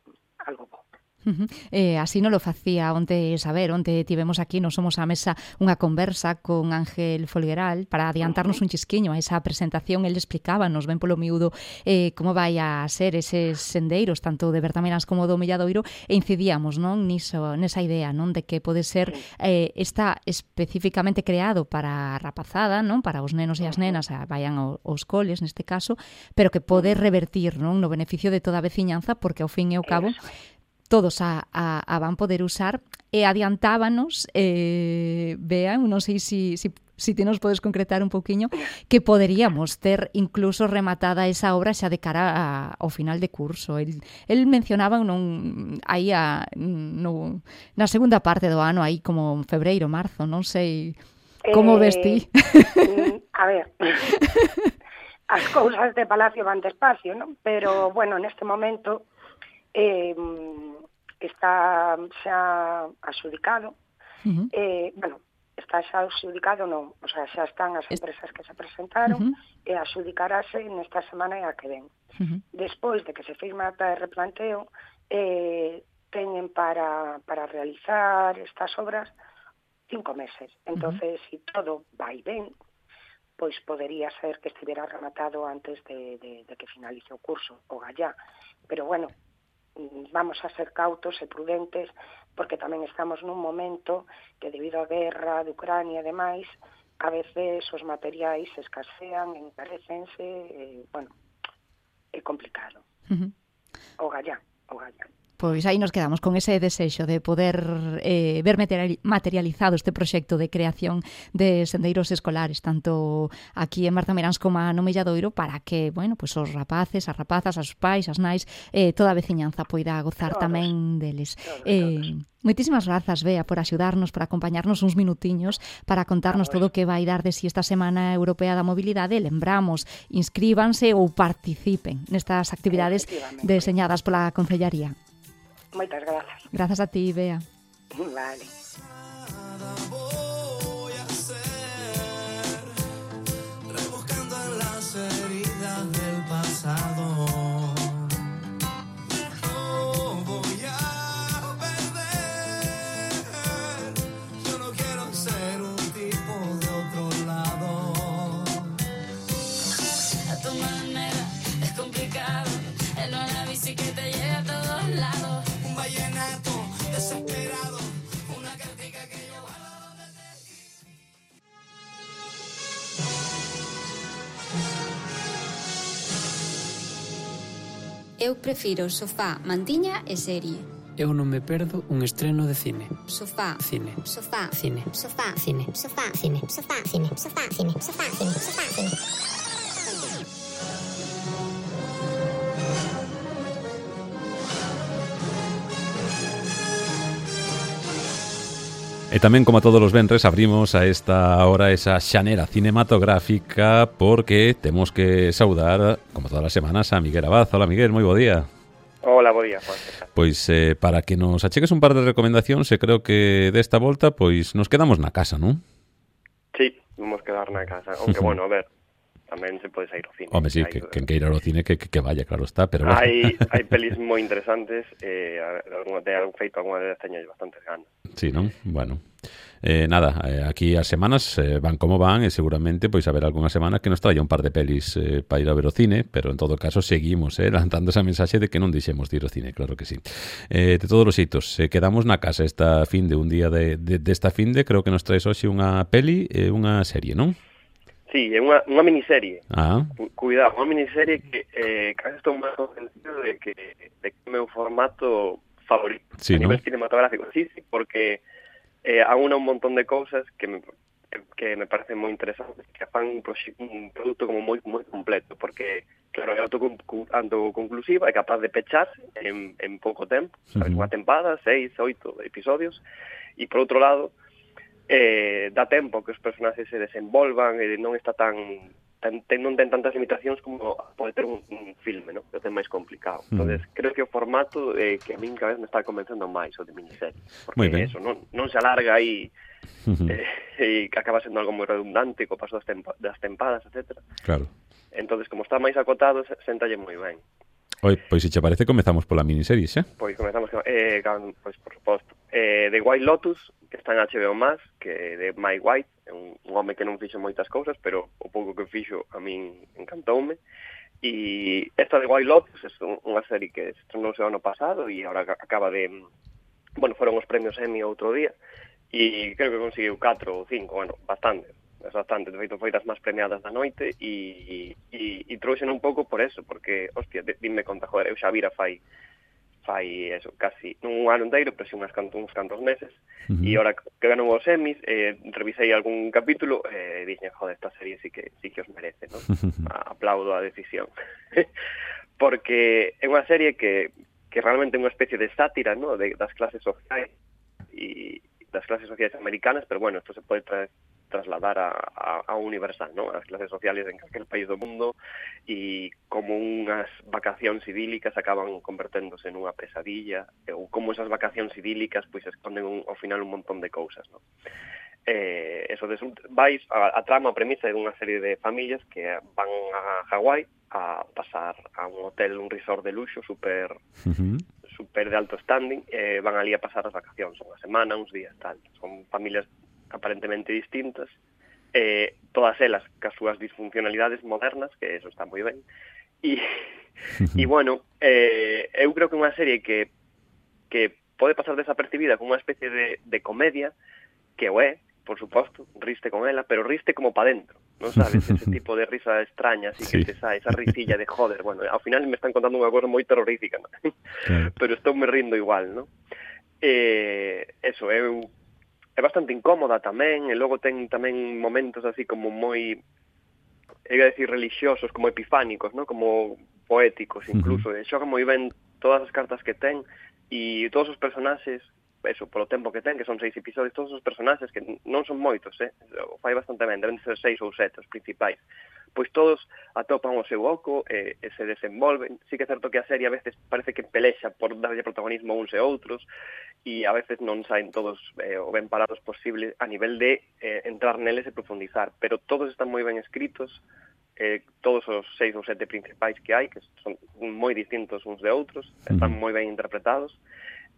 algo bom.
Uh-huh. Eh, así non lo facía onte saber, onte tivemos aquí, nos somos á mesa unha conversa con Ángel Folgueral para adiantarnos uh-huh. un chisquiño a esa presentación. El explicábanos ben polo miúdo eh, como vai a ser eses sendeiros, tanto de Bertamiráns como do Milladoiro, e incidíamos non niso, nesa idea non de que pode ser eh, está especificamente creado para a rapazada, non para os nenos e as nenas a, vayan ao, aos coles neste caso, pero que pode revertir non no beneficio de toda a veciñanza, porque ao fin e ao cabo todos a, a, a van poder usar. E adiantábanos, eh, Bea, non sei se si, si, si te nos podes concretar un pouquiño, que poderíamos ter incluso rematada esa obra xa de cara a, ao final de curso. El, el mencionaba non, aí a, no, na segunda parte do ano, aí como en febreiro, marzo, non sei como eh, ves ti.
A ver, as cousas de Palacio van despacio, non? Pero, bueno, neste momento eh, está xa adxudicado. Uh-huh. Eh, bueno, está xa adxudicado, non, o sea, xa están as empresas que se presentaron, uh-huh. e adxudicarase nesta semana e a que ven. Uh-huh. Despois de que se firma a ata de replanteo, eh, teñen para, para realizar estas obras cinco meses. Entonces, uh-huh. si todo vai ben, pois podería ser que estivera rematado antes de, de, de que finalice o curso, o gallá. Pero, bueno, vamos a ser cautos e prudentes, porque tamén estamos nun momento que debido á guerra de Ucrania e demais, a veces os materiais escasean, encarecense, e, bueno, é complicado. Uh-huh. O gallá, o gallá.
Pois aí nos quedamos con ese desexo de poder eh, ver materializado este proxecto de creación de sendeiros escolares, tanto aquí en Bertamiráns como no Milladoiro, para que, bueno, pues os rapaces, as rapazas, os pais, as nais, eh, toda a veciñanza poida gozar todos, tamén deles. Todos, eh, todos. Moitísimas grazas, Bea, por axudarnos, por acompañarnos uns minutiños para contarnos todo o que vai dar de si esta Semana Europea da Mobilidade. Lembramos, inscríbanse ou participen nestas actividades deseñadas pola Concellaría.
Moitas grazas.
Grazas a ti, Bea.
Vale.
Voy a hacer, rebuscando en las heridas del pasado. No voy a perder. Yo no quiero ser un tipo de otro lado. A tu manera es complicado. En una bici que te lleva a todos lados. Vallenato desesperado, una cartica que yo guardo donde
te... Eu prefiro sofá, mantiña e serie.
Eu non me perdo un estreno de cine.
Sofá,
cine,
Sofá,
cine,
sofá, cine, sofá, cine, sofá, cine, sofá, cine, sofá, cine, sofá, cine.
E tamén, como a todos os venres, abrimos a esta hora esa xanera cinematográfica porque temos que saudar, como todas as semanas, a Miguel Abad. Hola, Miguel, moi bo día.
Hola, bo día, Juan.
Pois eh, para que nos achegues un par de recomendacións, e creo que desta volta pois nos quedamos na casa, non?
Sí, vamos quedar na casa, aunque, bueno, a ver, tamén se pode sair ao cine.
Home, sí, que, que, que ir ao cine que, que, que vaya, claro está, pero...
Hai, hai pelis moi interesantes, eh, algún, de algún feito, alguna vez teño bastantes ganas.
Sí, non? Bueno, eh, nada, eh, aquí as semanas eh, van como van e seguramente pois haber algunha semana que nos traia un par de pelis eh, para ir a ver o cine, pero en todo caso seguimos eh, lanzando esa mensaxe de que non deixemos de ir ao cine, claro que sí. Eh, de todos os xeitos, eh, quedamos na casa esta fin de un día de, de, desta fin de, creo que nos traes hoxe unha peli e eh, unha serie, non?
Sí, é unha, unha miniserie.
Ah.
Cuidado, unha miniserie que eh, casi estou máis convencido de que, de que é o meu formato favorito
sí,
a
¿no?
nivel cinematográfico. Sí, sí, porque eh, aúna un montón de cousas que me, que me parecen moi interesantes, que fan un, un produto como moi moi completo, porque, claro, é autoconclusiva, é capaz de pecharse en, en pouco tempo, sabes, uh-huh. unha tempada, seis, oito episodios, e por outro lado, eh, dá tempo que os personaxes se desenvolvan e non está tan, tan ten, non ten tantas limitacións como pode ter un, un filme, ¿no? Que é máis complicado. Uh-huh. Entonces, creo que o formato eh, que a min cada vez me está convencendo máis o de miniserie, porque eso non, non se alarga aí uh-huh. eh, e acaba sendo algo moi redundante co paso das, tempa, das tempadas, etcétera.
Claro.
Entonces, como está máis acotado, séntalle moi ben.
Oi, pois se che parece, comezamos pola miniserie, xa?
Pois comezamos, eh, can, pois, por suposto. Eh, The White Lotus, que está en H B O Max, que de Mike White, é un, un home que non fixo moitas cousas, pero o pouco que fixo a min encantoume. E esta de White Lotus é unha serie que estrenou o ano pasado e agora acaba de... Bueno, foron os premios Emmy outro día e creo que conseguiu catro ou cinco, bueno, bastante. Es bastante, de feito foi das máis premiadas da noite e, e, e trouxen un pouco por eso, porque, hostia, dime conta, joder, eu xa vira fai fai eso, casi, non un ano inteiro, pero si unhas cantos, uns cantos meses, uh-huh. E ahora que ganou os Emmys, eh, revisei algún capítulo e eh, dixen, joder, esta serie sí que, sí que os merece, ¿no? Aplaudo a decisión. Porque é unha serie que, que realmente é unha especie de sátira, ¿no? De, das clases sociais e das clases sociais americanas, pero bueno, esto se pode traer trasladar a, a, a universal, ¿no? As clases sociales en aquel país do mundo e como unhas vacacións idílicas acaban converténdose nunha pesadilla ou como esas vacacións idílicas pois esconden un, ao final un montón de cousas, ¿no? Eh, eso de, vais a, a trama, a premisa é unha serie de familias que van a Hawái a pasar a un hotel, un resort de luxo super uh-huh. super de alto standing, eh, van ali a pasar as vacacións, unha semana, uns días, tal. Son familias aparentemente distintas, eh, todas elas cas súas disfuncionalidades modernas, que eso está moi ben, e, e bueno, eh, eu creo que unha serie que, que pode pasar desapercibida como unha especie de, de comedia, que o é, por suposto, riste con ela, pero riste como pa dentro, non sabes, ese tipo de risa extraña, así sí. Que te sae, esa risilla de joder, bueno, ao final me están contando unha cosa moi terrorífica, ¿no? Claro. Pero estou me rindo igual, ¿no? Eh, eso, eu é bastante incómoda tamén, e logo ten tamén momentos así como moi, iba a decir, religiosos, como epifánicos, ¿no? Como poéticos incluso, uh-huh. E xoga moi ben todas as cartas que ten, e todos os personaxes, eso, polo tempo que ten, que son seis episodios, todos os personaxes, que non son moitos, eh? O fai bastante ben, deben ser seis ou sete os principais, pois todos atopan o seu oco e, e se desenvolven. Sí que é certo que a serie a veces parece que pelexa por darlle protagonismo a uns e outros e a veces non saen todos eh, o ben parados posible a nivel de eh, entrar neles e profundizar, pero todos están moi ben escritos, eh, todos os seis ou sete principais que hai, que son moi distintos uns de outros, están moi ben interpretados.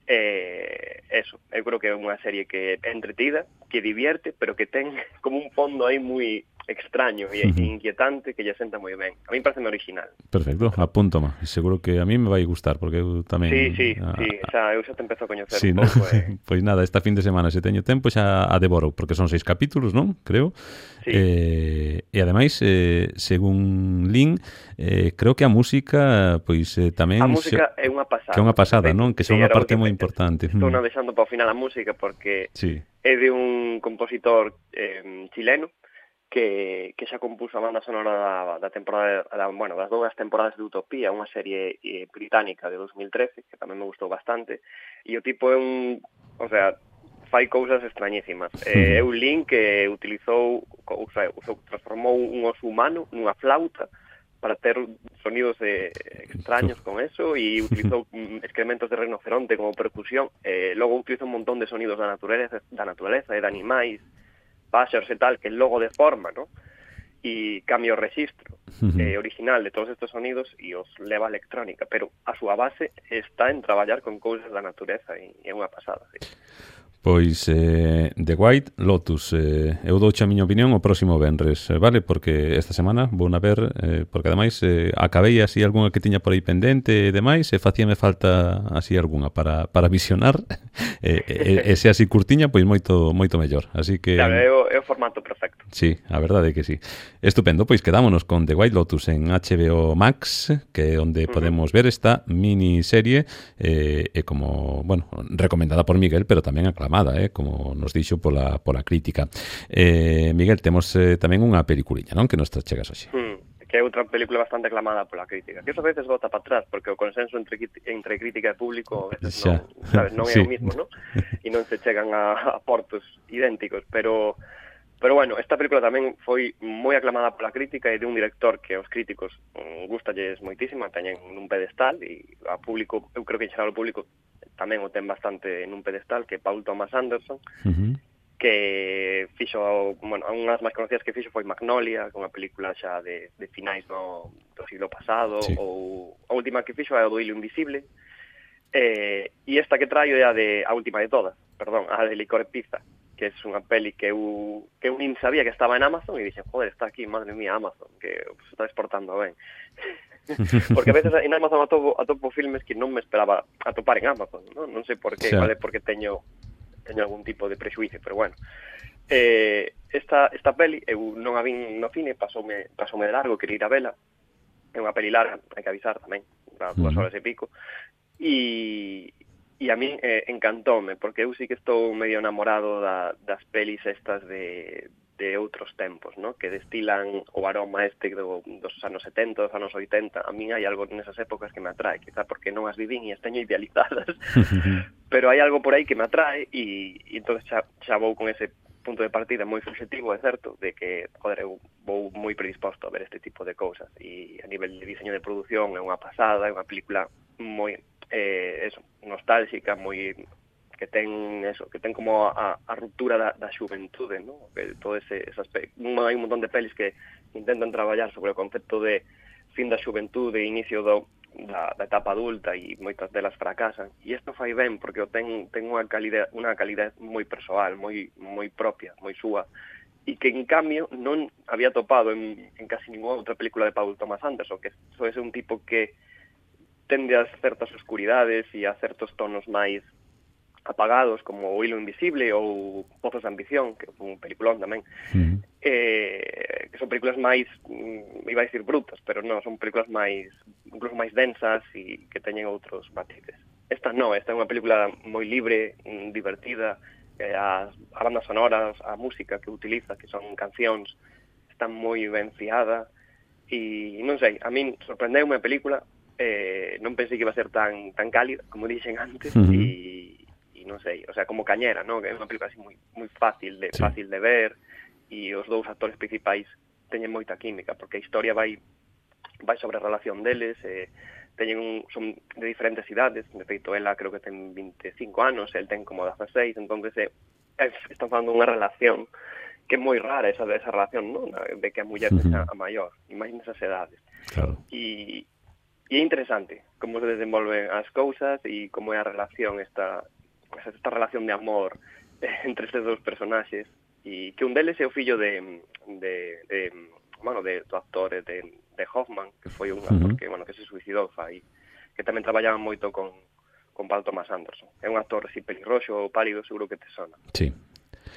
Eh, eso, eu creo que é unha serie que é entretida, que divierte, pero que ten como un fondo aí moi extraño e uh-huh. inquietante que lle senta moi ben. A mí parece original.
Perfecto, apúntoma. Seguro que a mí me vai gustar, porque eu tamén...
Sí, sí, a... sí, xa, eu xa te empezo a coñecer
sí,
un pouco.
Eh. Pois nada, esta fin de semana, se teño tempo, xa a devoro, porque son seis capítulos, non? Creo. Sí. Eh, e ademais, eh, según Lin, eh, creo que a música, pois eh, tamén...
A música xe... é unha pasada.
Que é unha pasada, non? Que é unha parte moi importante.
Estou non deixando para o final a música, porque sí. É de un compositor eh, chileno, que, que xa compuso a banda sonora da, da temporada, da, bueno, das dúas temporadas de Utopía, unha serie eh, británica de dos mil trece, que tamén me gustou bastante, e o tipo é un, o sea, fai cousas extrañísimas. Eh, é un link que utilizou, o sea, transformou un oso humano nunha flauta para ter sonidos eh, extraños con eso, e utilizou excrementos de rinoceronte como percusión, eh, logo utilizou un montón de sonidos da naturaleza, da naturaleza e de animais, páxaros e tal, que logo deforma, ¿no? E cambia o registro uh-huh. eh, original de todos estos sonidos e os leva a electrónica, pero a súa base está en traballar con cousas da natureza e é unha pasada, sí.
Pois eh, The White Lotus, eh, eu douche a miña opinión o próximo venres, eh, vale? Porque esta semana vou na ver, eh, porque ademais eh, acabei así algunha que tiña por aí pendente e demais, e facíame falta así algunha para, para visionar, e, e, e se así curtiña, pois moito moito mellor, así que...
Claro, é o, é o formato perfecto.
Sí, a verdade é que sí. Estupendo, pois quedámonos con The White Lotus en H B O Max, que é onde uh-huh. podemos ver esta miniserie, eh, e como, bueno, recomendada por Miguel, pero tamén aclamada, Eh, como nos dixo pola, pola crítica. Eh, Miguel, temos eh, tamén unha peliculiña, non? Que nos chegas hoxe.
Hmm, que é outra película bastante aclamada pola crítica. Que eso a veces bota para atrás, porque o consenso entre, entre crítica e público a veces non, sabes, non é sí. o mismo, non? E non se chegan a, a portos idénticos, pero... Pero bueno, esta película tamén foi moi aclamada pola crítica e de un director que aos críticos um, gustalles moitísimo, teñen nun pedestal, e a público, eu creo que en xeral o público tamén o ten bastante nun pedestal, que é Paul Thomas Anderson, uh-huh. que fixo, bueno, unha das máis conocidas que fixo foi Magnolia, que é unha película xa de, de finais do, do siglo pasado, sí. ou a última que fixo é o do Hilo Invisible, Eh, e esta que traio é a de a última de todas, perdón, a de Licor Pizza, que é unha peli que eu, que eu nin sabía que estaba en Amazon e dixen, joder, está aquí, madre mía, Amazon, que se está exportando ben. Porque a veces en Amazon atopo, atopo filmes que non me esperaba atopar en Amazon, non, non sei por qué,
Xa.
vale, porque teño teño algún tipo de prexuicio, pero bueno. Eh, esta, esta peli, eu non a vin no cine, pasoume, pasoume de largo, quería ir a vela, é unha peli larga, hai que avisar tamén, para dúas horas e pico, e... E a mí eh, encantóme, porque eu sí que estou medio enamorado da, das pelis estas de, de outros tempos, ¿no? Que destilan o aroma este do, dos anos setenta, dos anos oitenta. A mí hai algo nesas épocas que me atrae, quizá porque non as vivín e as teño idealizadas, pero hai algo por aí que me atrae e, e entón xa, xa vou con ese punto de partida moi subjetivo, é certo, de que, joder, eu vou moi predisposto a ver este tipo de cousas e a nivel de diseño de produción é unha pasada, é unha película moi... Eh, eso, nostálxica, moi que ten eso, que ten como a, a ruptura da, da xuventude, ¿no? Que todo ese, ese aspecto. Hai un montón de pelis que intentan traballar sobre o concepto de fin da xuventude e inicio do, da, da etapa adulta e moitas delas fracasan. E isto fai ben porque o ten, ten unha calidad, unha calidad moi persoal, moi, moi propia, moi súa, e que en cambio non había topado en, en casi ninguna outra película de Paul Thomas Anderson, que soe ser un tipo que tende a certas oscuridades e a certos tonos máis apagados, como O hilo invisible ou Pozos de ambición, que é un peliculón tamén, uh-huh. eh, que son películas máis, iba a dicir brutas, pero non, son películas máis, incluso máis densas e que teñen outros matices. Esta non, esta é unha película moi libre, divertida, eh, as, a banda sonoras, a música que utiliza, que son cancións, están moi ben fiada, e non sei, a min sorprendeu-me a película. Eh, non pensei que iba a ser tan tan cálida, como dixen antes, uh-huh. e, e non sei, o sea, como cañera, ¿no? Que é unha película así moi moi fácil de sí. fácil de ver, e os dous actores principais teñen moita química, porque a historia vai vai sobre a relación deles, eh, teñen un, son de diferentes idades, de feito, ela creo que ten veinticinco anos, el ten como dieciséis, entonces eh, están falando unha relación que é moi rara esa, esa relación, ¿no? De que a muller uh-huh. sexa a maior, e máis nesas edades.
Claro.
E E é interesante como se desenvolven as cousas e como é a relación, esta, esta relación de amor entre estes dous personaxes, e que un deles é o fillo de, de, de bueno, de, do actor de, de Hoffman, que foi un actor uh-huh. que, bueno, que se suicidou fai, que tamén traballaba moito con, con Paul Thomas Anderson. É un actor así pelirroxo, pálido, seguro que te sona.
Sí.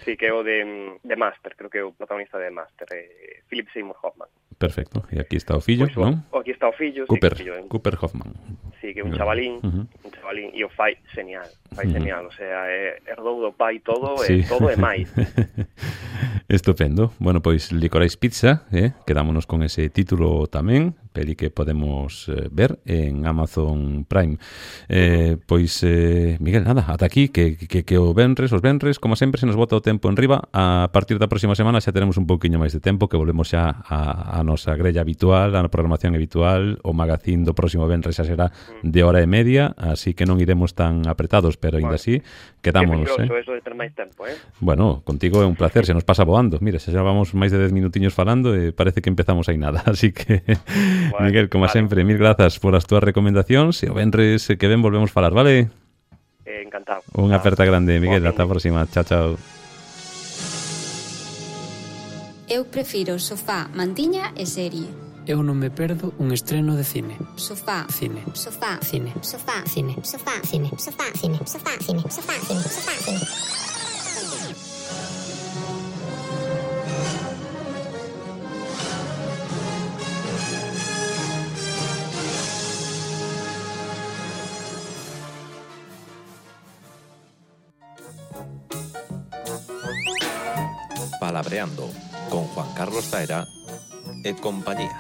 Sí, que é o de, de Master, creo que é o protagonista de Master, eh, Philip Seymour Hoffman.
Perfecto, e aquí está o fillo,
pues,
non?
Aquí está o fillo,
Cooper,
sí, que fillo,
Cooper Hoffman.
Sí, que é un chavalín, uh-huh. un chavalín, e o fai genial, fai uh-huh. genial, o sea, é, herdou do pai todo, sí. e todo é máis.
Estupendo. Bueno, pois Licorice Pizza, eh? Quedámonos con ese título tamén, peli que podemos eh, ver en Amazon Prime. Eh, pois, eh, Miguel, nada, ata aquí, que, que, que o venres, os venres, como sempre, se nos bota o tempo en riba. A partir da próxima semana xa teremos un pouquiño máis de tempo, que volvemos xa a, a nosa grella habitual, a programación habitual. O magazín do próximo venres xa será de hora e media, así que non iremos tan apretados, pero ainda así, quedámonos.
Que
eh?
eso de ter máis tempo, eh?
Bueno, contigo é un placer, se nos pasa voando. Mira, xa vamos máis de dez minutiños falando e parece que empezamos aí nada, así que bueno, Miguel, como vale. sempre, mil grazas por as túas recomendacións e o venres que ven volvemos falar, vale?
Eh, encantado.
Unha aperta grande, Miguel, ata a próxima. Chao, chao.
Eu prefiro sofá, mantiña e serie.
Eu non me perdo un estreno de cine.
Sofá,
cine,
Sofá,
cine,
sofá, cine, sofá, cine, sofá, cine, sofá, cine, sofá, cine, sofá, cine.
Palabreando con Juan Carlos Taera e compañía.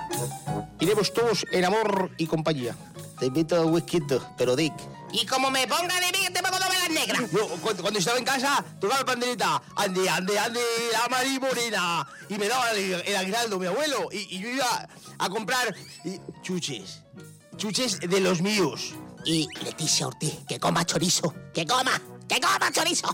Iremos todos en amor y compañía. Te invito a un whisky, pero Dick.
Y como me ponga de mí, te pongo novelas negras.
Yo, cuando, cuando estaba en casa, tocaba la pandereta. Ande, ande, ande, la Mari Morena. Y me daba el, el aguinaldo mi abuelo. Y, y yo iba a comprar y, chuches. Chuches de los míos.
Y Leticia Ortiz, que coma chorizo. Que coma, que coma chorizo.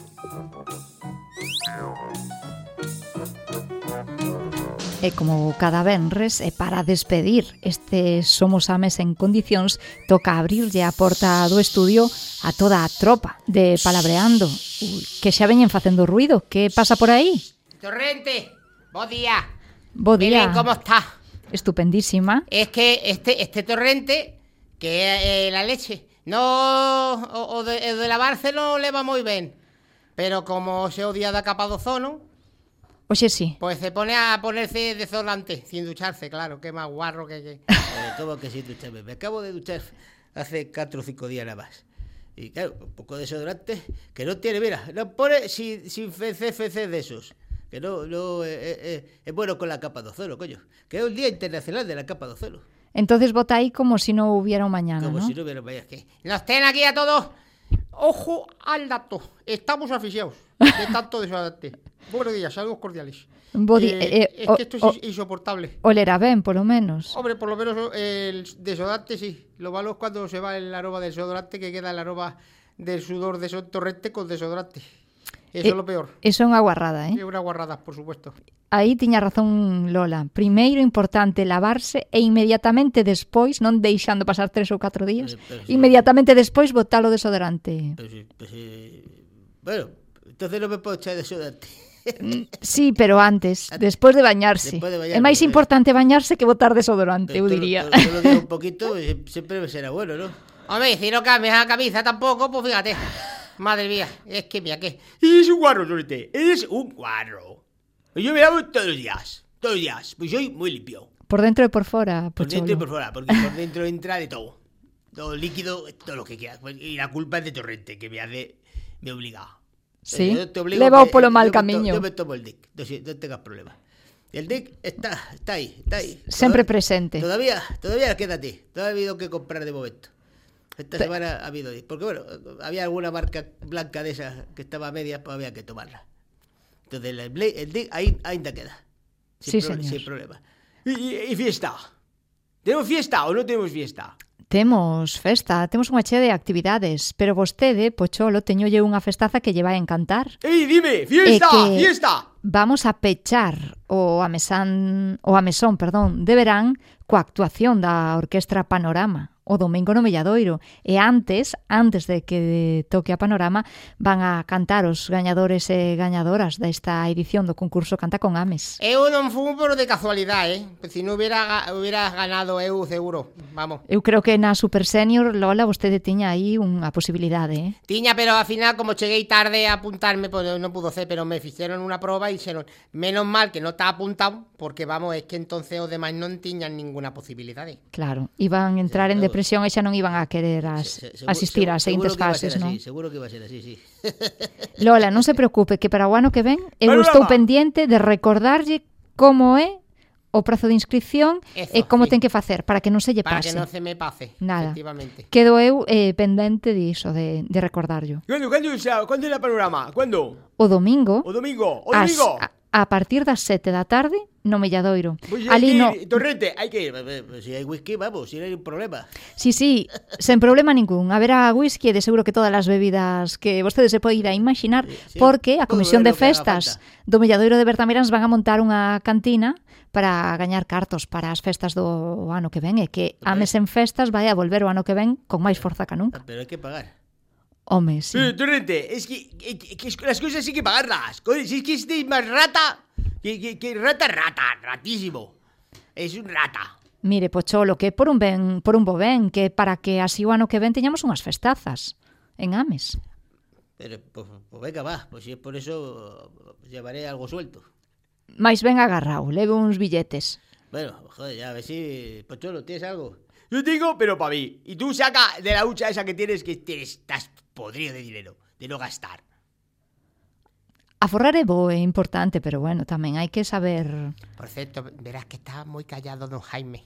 E como cada venres, e para despedir este Somos Ames en condicións, toca abrirlle a porta do estudio a toda a tropa de Palabreando. Ui, que xa veñen facendo ruido. Que pasa por aí?
Torrente, bo día.
Bo día.
Belén, ¿cómo está?
Estupendísima.
Es que este este Torrente, que é eh, la leche, no, o, o, de, o de lavarse non leva moi ben. Pero como se o día da capa do ozono,
Oxe, sí.
pues se pone a ponerse desodorante, sin ducharse, claro, que más guarro que... que... Eh, ¿Cómo que sin ducharme? Me acabo de duchar hace cuatro o cinco días nada más. Y claro, un poco de desodorante, que no tiene, mira, no pone sin, sin C F C de esos. Que no, no, eh, eh, es bueno con la capa de ozono, coño. Que es un día internacional de la capa de ozono.
Entonces vota aí como si no hubiera un mañana,
Como
¿no?
si no hubiera un mañana. Que nos ten aquí a todos. Ojo al dato. Estamos asfixiados de tanto desodorante. Buenos días, saludos cordiales.
Bodi,
eh,
eh,
es
o,
que esto es
o,
insoportable.
Olera ben, polo menos.
Hombre, por lo menos el desodorante sí. Lo malo es cuando se va el aroma del desodorante, que queda el aroma del sudor de Son Torrente con desodorante. Eso eh, es lo peor.
Eso é unha guarrada, eh?
É unha guarrada, por supuesto.
Aí tiña razón Lola. Primeiro importante lavarse e inmediatamente despois, non deixando pasar tres ou catro días, pero, pero, inmediatamente despois botar o desodorante.
Pero, pero, pero, bueno, entonces non me podo echar desodorante.
Sí, pero antes, despois de bañarse.
De bañarme,
é máis
eh.
importante bañarse que botar desodorante, eu
todo,
diría.
Todo, todo lo digo un poquito, sempre será bueno, ¿no? Hombre, si no cambias la camisa tampoco, pues fíjate. Madre mía, es que mira, que...
Eres un guarro, Torrente, eres un guarro. Yo me lavo todos los días, todos los días, pues soy muy limpio.
Por dentro e por fora,
Por
Pocholo.
dentro y por fuera, porque por dentro entra de todo. Todo líquido, todo lo que quieras. Y la culpa es de Torrente, que me hace... me obliga.
Sí,
Yo te obligo
leva
que-
polo mal
yo me to-
camiño.
Yo me tomo el D I C, no, si- no tengas problema. El D I C está, está ahí, está ahí.
Sempre
Todavía-
presente.
Todavía, todavía quédate. Todavía ha habido que comprar de momento. Esta
Pe-
semana ha habido D I C. Porque bueno, había alguna marca blanca de esas que estaba a medias, pues había que tomarla. Entonces el, Bla- el D I C ahí, ahí te queda.
Sí,
pro-
señor.
Sin problema. ¿Y, y, y fiesta? ¿Tenemos fiesta o no tenemos fiesta?
Temos festa, temos unha chea de actividades, pero vostede, Pocholo, teñolle unha festaza que lle vai a encantar.
¡Ey, dime! ¡Fiesta!
E que
¡Fiesta!
Vamos a pechar o amesán, o amesón, perdón, de verán coa actuación da Orquestra Panorama o domingo no Melladoiro. E antes, antes de que toque a Panorama, van a cantar os gañadores e gañadoras desta edición do concurso Canta con Ames.
Eu non fui por de casualidade, eh. Si non hubiera, ga- hubiera ganado eu, seguro. Vamos.
Eu creo que na Super Senior, Lola, vostede tiña aí unha posibilidade, eh?
Tiña, pero al final, como cheguei tarde a apuntarme, pues non pudo ser, pero me fixeron unha proba e dixeron, menos mal que non está apuntado, porque vamos, es que entonces os demais non tiñan ninguna posibilidade.
Claro, iban a entrar en depresión e xa non iban a querer as,
Se- se-
asistir ás seguintes
seguro que iba a
fases,
ser
non?
así, seguro que iba a ser así, sí.
Lola, non se preocupe, que para o ano que ven eu
Panorama.
estou pendiente de recordarlle como é o prazo de inscripción
Eso,
e como
sí.
ten que facer para que non se lle
Para
pase.
que non se me pase,
Nada.
efectivamente.
Quedo eu eh, pendente diso, de, de recordarlo.
¿Cuándo, cuándo, es la- ¿Cuándo es el panorama? ¿Cuándo?
O domingo,
¿O domingo? ¿O
as-
domingo?
a, a partir das sete da tarde, no Melladoiro.
Pues hay
Ali
que
no...
ir, Torrente, hay que ir. Pues si hay whisky, vamos, si no hay un problema.
Sí, sí, sen problema ningún. Haberá whisky e de seguro que todas as bebidas que vostede se pode ir a imaginar,
sí,
porque a
todo
Comisión
lo
de
que haga
Festas do Melladoiro de Bertamiráns van a montar unha cantina para gañar cartos para as festas do ano que ven, e que Ames en Festas vai a volver o ano que ven con máis forza que nunca.
Pero hay que pagar.
Home, sí.
Pero, Torrente, es que, que- que es- las cosas hay que pagarlas. Joder, si es que este es más rata que, que, que rata, rata, ratísimo. Es un rata.
Mire, Pocholo, que por un ben, por un bo ben, que para que así o ano que ven teñamos unhas festazas en Ames.
Pero, pues, pues venga, va. Pues si es por eso, pues llevaré algo suelto.
Mais ben agarrao, leve uns billetes.
Bueno, joder, ya, a ver si... Pocholo, ¿tienes algo? Yo tengo, pero para mí. Y tú saca de la hucha esa que tienes, que tienes, estás podrido de dinero, de no gastar.
Aforrar é bo, é importante, pero bueno, tamén hai que saber...
Por cierto, verás que está moi callado don Jaime.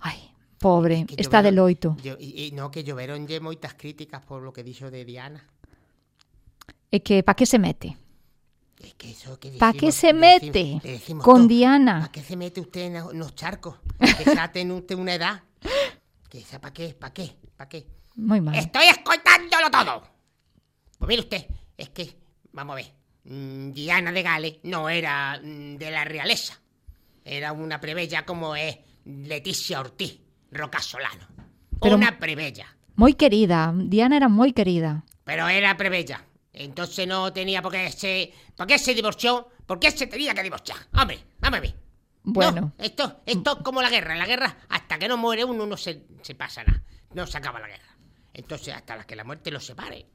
Ai, pobre,
Que
está de
lloveron-
loito.
Yo, e, e no, que lloveronlle moitas críticas por lo que dixo de Diana.
E que pa que se mete?
Es que eso que
Pa
decimos-
que se
le
mete
decimos- le decimos
con
todo.
Diana?
¿Para qué se mete usted en los charcos? Que ya tiene usted una edad. Que esa, ¿para qué? ¿Para qué? ¿Para qué?
Moi mal.
Estoy escoltándolo todo. Pues mire usted, es que, vamos a ver, mm, Diana de Gales no era mm, de la realeza. Era una plebeya como es Leticia Ortiz Rocasolano.
Pero
una plebeya.
Moi querida, Diana era moi querida.
Pero era plebeya. Entonces no tenía por qué se... ¿Por qué se divorció? ¿Por qué se tenía que divorciar? Hombre, vamos a ver.
Bueno.
No, esto, esto es como la guerra. La guerra, hasta que no muere uno, no se, se pasa nada. No se acaba la guerra. Entonces, hasta que la muerte los separe.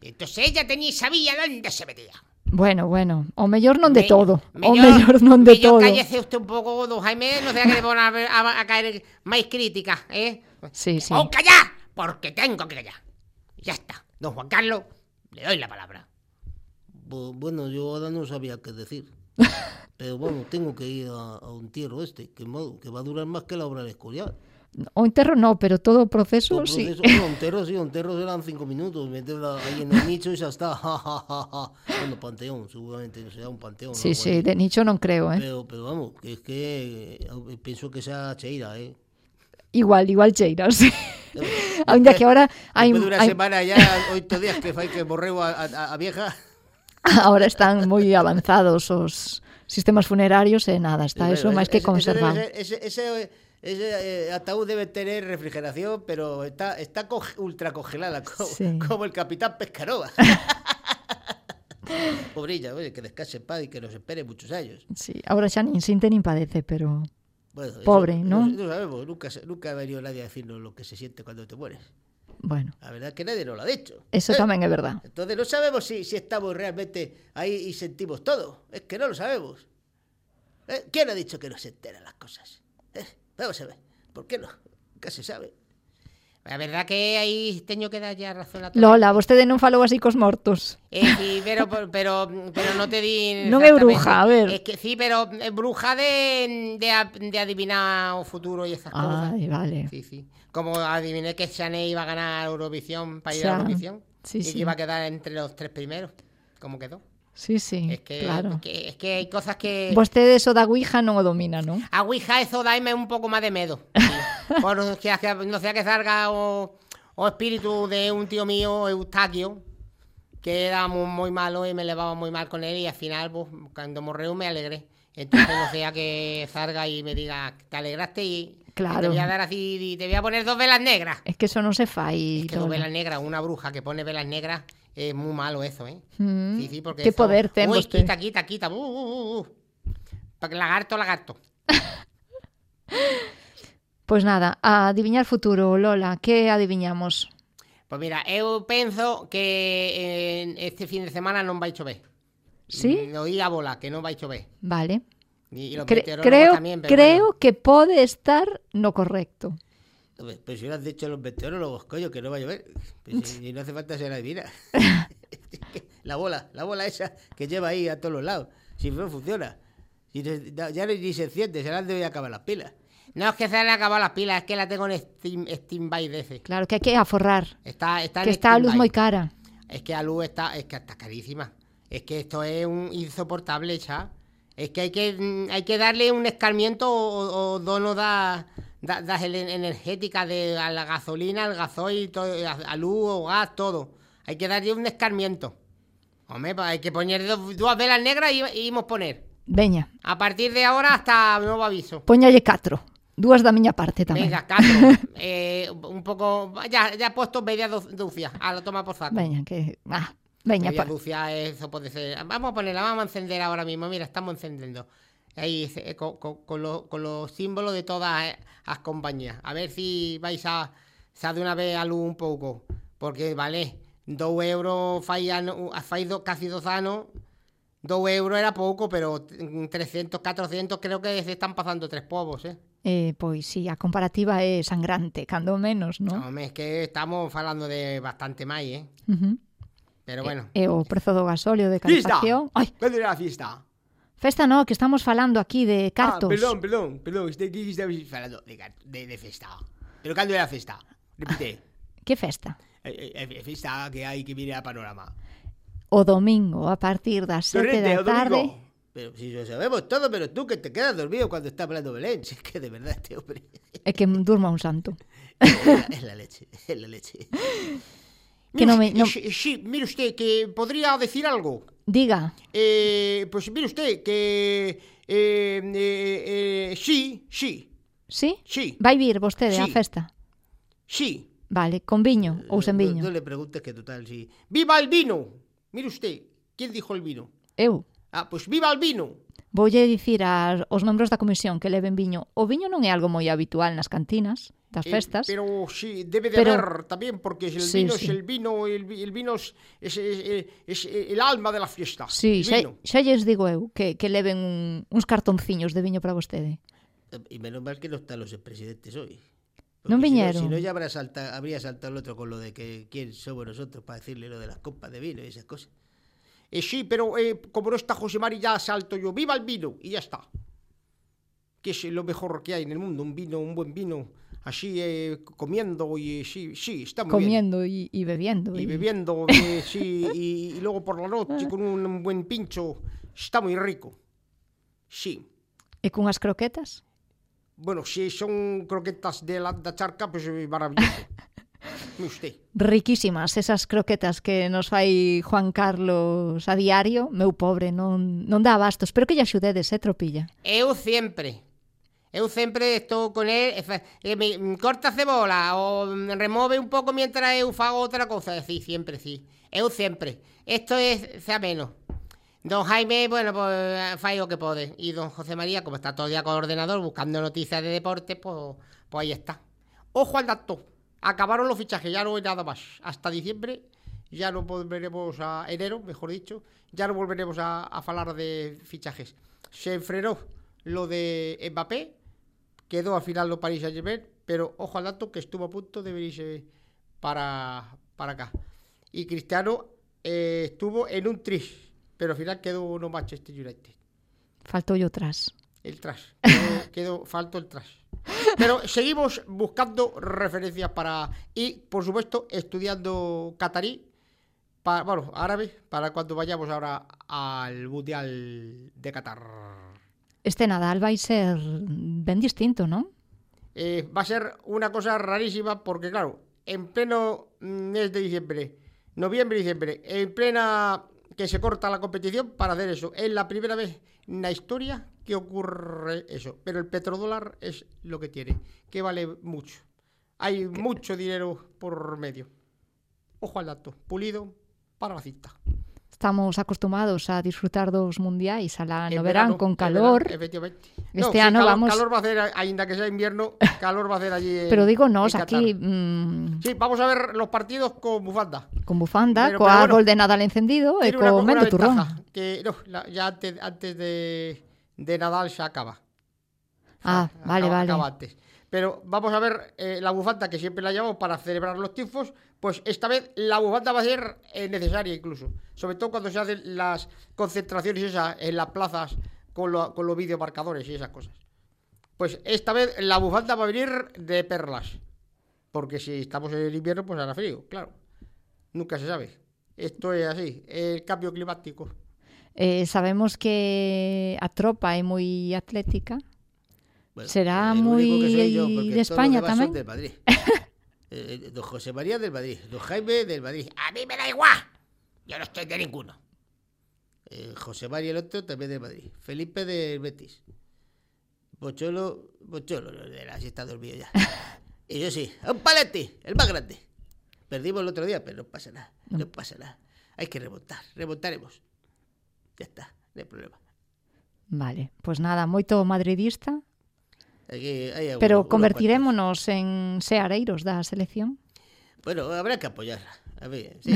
Entonces ella tenía y sabía dónde se metía.
Bueno, bueno, o mellor non de
Me,
todo.
mellor,
o mellor non de
mellor
todo.
cállese usted un pouco, don Jaime, no sea que le van a, a, a caer máis crítica, eh?
Sí, sí.
¡O callar! Porque tengo que callar. Ya está. Don Juan Carlos, le doy la palabra.
Bueno, yo ahora no sabía qué decir. Pero bueno, tengo que ir a, a un entierro este, que, que va a durar más que la obra de Escorial.
O enterro no, pero todo o proceso,
O
sí.
proceso, no, un enterro sí, un enterro serán cinco minutos, meterla ahí en el nicho y ya está. Bueno, panteón, seguramente será un panteón.
Sí,
¿no?
sí, de nicho non creo, eh.
Pero, pero vamos, que es que eh, pienso que sea cheira, eh.
Igual, igual cheiras. Ainda que ahora hai
Después de una
hai-
semana ya, oito días que fai que morreu a, a, a vieja.
ahora están moi avanzados os sistemas funerarios e nada, está
Bueno,
eso máis que
ese- ese debe
conservado.
ser- Ese, ese, ese eh, ataúd debe tener refrigeración, pero está, está co- ultra congelada, como,
Sí.
como el Capitán Pescarova. Pobrilla, oye, que descanse en paz y que nos espere muchos años.
Sí, ahora xa nin sinte nin padece, pero
Bueno, eso-
pobre,
eso-
¿no?
No sabemos, nunca, se- nunca ha venido nadie a decirnos lo que se siente cuando te mueres.
Bueno,
La verdad es que nadie nos lo ha dicho.
eso
¿eh?
tamén é verdad.
Entonces no sabemos si, si estamos realmente ahí y sentimos todo. Es que no lo sabemos. ¿Eh? ¿Quién ha dicho que no se enteran las cosas? ¿Eh? Vamos a ver. ¿Por qué no? Nunca se sabe. La verdad que aí teño que dar ya razón a todo.
Lola, vostede non falou así cos mortos.
Eh, sí, pero, pero, pero no te di...
Non é
exactamente.
bruja, a ver.
Es que sí, pero es bruja de, de, a- de adivinar o futuro y esas cosas.
Ay, vale.
Sí, sí. Como adiviné que Chanel iba a ganar Eurovisión para ir
Xa.
a Eurovisión.
Sí,
y
sí.
que iba a quedar entre los tres primeros. ¿Cómo quedó?
Sí, sí,
Es que,
claro.
es que, es que hay cosas que...
Vostede eso da Ouija non o domina, non?
A Ouija eso daime un pouco máis de medo. Sí. Por no sea que, no sea que salga o, o espíritu de un tío mío, Eustaquio, que era muy, muy malo y me llevaba muy mal con él y al final, pues, cuando morreu me alegré. Entonces no sea que salga y me diga, te alegraste y
Claro.
te voy a dar así, y te voy a poner dos velas negras.
Es que eso non se fai.
Es que dos
Lola.
velas negras, una bruja que pone velas negras, es muy malo eso, ¿eh?
Mm.
Sí, sí, porque
Que
eso-
poder ten
Uy,
vostede.
quita, quita, quita. Uh, uh, uh, uh. Pa- Lagarto, lagarto.
Pois nada, a adiviñar futuro, Lola, que adiviñamos?
Pois mira, eu penso que eh, este fin de semana non vai chover.
Sí?
Mm, Oí a bola, que non vai chover.
Vale.
E, e los
Cre-
meteorólogos
creo
tamén, pero
creo
bueno.
que pode estar no correcto.
Pero pues si lo has dicho los meteorólogos, coño, que no va a llover. Pues si- y no hace falta ser adivina. la bola, la bola esa que lleva ahí a todos los lados. Si no funciona. Si no- ya ni ni se enciende, se le han de acabar las pilas. No es que se le han acabado las pilas, es que la tengo en Steam, Steam by D C.
Claro, que hai que aforrar.
Está, está
Que
en
está a luz
stand-by.
moi cara.
Es que la luz está, es que está carísima. Es que esto es un insoportable, ya. Es que hay que mm, hay que darle un escarmiento o, o dono da, da, das ele- energéticas de a la gasolina, al gasoil, todo, a, a luz o gas, todo. Hay que darle un escarmiento. Hombre, pues hay que poner dos, dos velas negras y, y íbamos a poner.
Veña,
A partir de ahora hasta nuevo aviso.
poñalle catro. Dúas da miña parte tamén.
Venga, catro. eh, un poco. Ya, ya he puesto media do- dúcia. A lo toma por saco.
Veña, que... Ah, veña,
Media
pa...
dúcia, eso puede ser. Vamos a ponerla, vamos a encender ahora mismo. Mira, estamos encendiendo. Ahí, eh, con, con- con lo- con los símbolos de todas eh, las compañías. A ver si vais a, a de una vez a luz un pouco. Porque, vale, dos euros fai, ano, fai do, casi dos años. Dos euros era pouco, pero trescientos, cuatrocientos creo que se están pasando tres povos, eh.
Eh, pois sí, a comparativa é sangrante, cando menos, non?
Home, es que estamos falando de bastante máis, eh.
Uh -huh.
Pero bueno.
E o prezo do gasóleo de
¡Fiesta!
calefacción. Ai,
¿Cuándo era la fiesta?
festa no, que estamos falando aquí de cartos.
Ah, perdón, perdón, perdón. Este aquí estamos falando de, car- de, de festa. ¿Pero cuándo era la festa? Repite.
Que festa?
Eh, eh, eh, festa que hay que mirar a panorama.
O domingo, a partir das sete
Torrente,
da
o domingo.
tarde.
Pero si lo sabemos todo, pero tú que te quedas dormido cuando está hablando Belén. Si es que de verdad este hombre
É que durma un santo.
es la, es la leche, es la leche.
Que no me- no-
Sí, sí, mire usted, que podría decir algo.
Diga.
Eh, pues mire usted, que Eh, eh, eh, sí, sí.
Sí?
Sí.
Vai vir vostede á
Sí.
festa?
Sí.
Vale, con viño ou sen viño?
No, no le preguntes que total, sí. ¡Viva el vino! Mire usted, ¿quién dijo el vino?
Eu.
Ah, pues viva el vino.
Voulle dicir aos membros da comisión que leven viño. O viño non é algo moi habitual nas cantinas das
Eh,
festas.
pero sí, debe de
Pero-
haber también, porque el
Sí,
vino
sí.
es el vino, el, vi- el vino es, es- es- es el alma de la fiesta.
Sí,
el
xa,
vino.
xa lles digo eu que, que leven un, uns cartonciños de viño para vostede.
Y menos mal que no están los presidentes hoy.
Non
Porque si
viñeron.
Si no, ya habrá salta, habría saltado el otro con lo de que quién somos nosotros para decirle lo de las copas de vino y esas cosas.
Eh, sí, pero eh, como no está José Mari, ya salto yo. ¡Viva el vino! Y ya está. Que es lo mejor que hay en el mundo, un vino, un buen vino, así eh, comiendo y eh, sí, sí, está muy bien.
Comiendo y, y bebiendo.
Y bebiendo, eh, sí, y, y luego por la noche con un buen pincho, está muy rico. Sí.
E cunhas croquetas?
Bueno, si son croquetas de la da charca, pues eh, maravilloso. Mire usted.
Riquísimas esas croquetas que nos fai Juan Carlos a diario. Meu pobre, non, non dá abasto. Espero que lle axudedes, eh, tropilla.
Eu sempre. Eu sempre estou con él, e fa- e me me corta cebola ou me remove un pouco mientras eu fago outra cousa. Sí, sempre, sí. Eu sempre. Esto es ameno. Don Jaime, bueno, pues fai o que pode. E don José María, como está todo el día con el ordenador buscando noticias de deporte, pues, pues ahí está. Ojo al dato. Acabaron los fichajes, ya no hay nada más. Hasta diciembre ya no volveremos a... enero, mejor dicho, ya no volveremos a, a falar de fichajes. Se frenó lo de Mbappé, quedó al final lo Paris Saint-Germain, pero ojo al dato que estuvo a punto de venirse para, para acá. Y Cristiano eh, estuvo en un tris, pero al final quedó no Manchester United.
Faltou yo tras.
El tras. Quedó, quedó, faltó el tras. Pero seguimos buscando referencias para... Y, por supuesto, estudiando catarí, para, bueno, árabe, para cuando vayamos ahora al Mundial de Qatar.
Este Nadal vai ser ben distinto, non?
Eh, va a ser una cosa rarísima porque, claro, en pleno mes de diciembre, noviembre y diciembre, en plena que se corta la competición para hacer eso. Es la primera vez en la historia que ocurre eso. Pero el petrodólar es lo que tiene, que vale mucho. Hay mucho dinero por medio. Ojo al dato, pulido para la cinta.
Estamos acostumados a disfrutar dos mundiais alá no
En
verán
verano,
con
en
calor.
verano, efectivamente.
Este
No, sí,
ano
calor,
vamos...
calor va a hacer, ainda que sea invierno, calor va a hacer allí en,
Pero digo nos,
en Qatar.
aquí mm,
Sí, vamos a ver los partidos con bufanda.
con bufanda,
Pero-
co
pero
árbol
bueno,
de Nadal encendido e
Tiene una,
co
una
mendo turrón.
ventaja, que no, la- ya antes, antes de, de Nadal se acaba.
Ah, vale,
acaba,
vale.
acaba antes. Pero vamos a ver eh, la bufanda que siempre la llevamos para celebrar los triunfos, pues esta vez la bufanda va a ser eh, necesaria incluso, sobre todo cuando se hacen las concentraciones esas en las plazas con, lo- con los videomarcadores y esas cosas. Pues esta vez la bufanda va a venir de perlas, porque si estamos en el invierno pues hará frío, claro. Nunca se sabe. Esto es así, el cambio climático.
Eh, sabemos que a tropa é moi atlética.
Bueno,
Será
el
moi
único que soy yo, porque
de
todos
España
los demás son
tamén.
del Madrid. Eh, don José María del Madrid, don Jaime del Madrid. A mí me da igual. Yo no estoy de ninguno. Eh, José María el otro también del Madrid. Felipe del Betis. Bocholo, Bocholo, de la siesta dormido ya. Y yo sí, a un palete, el más grande. Perdimos el otro día, pero no pasa nada, no pasa nada. Hay que remontar, remontaremos. Ya está, no hay problema.
Vale, pues nada, moito madridista,
Aquí hay algunos-
pero
unos
convertirémonos en seareiros da selección.
cuantos. Bueno, habrá que apoyarla. A ver, sí,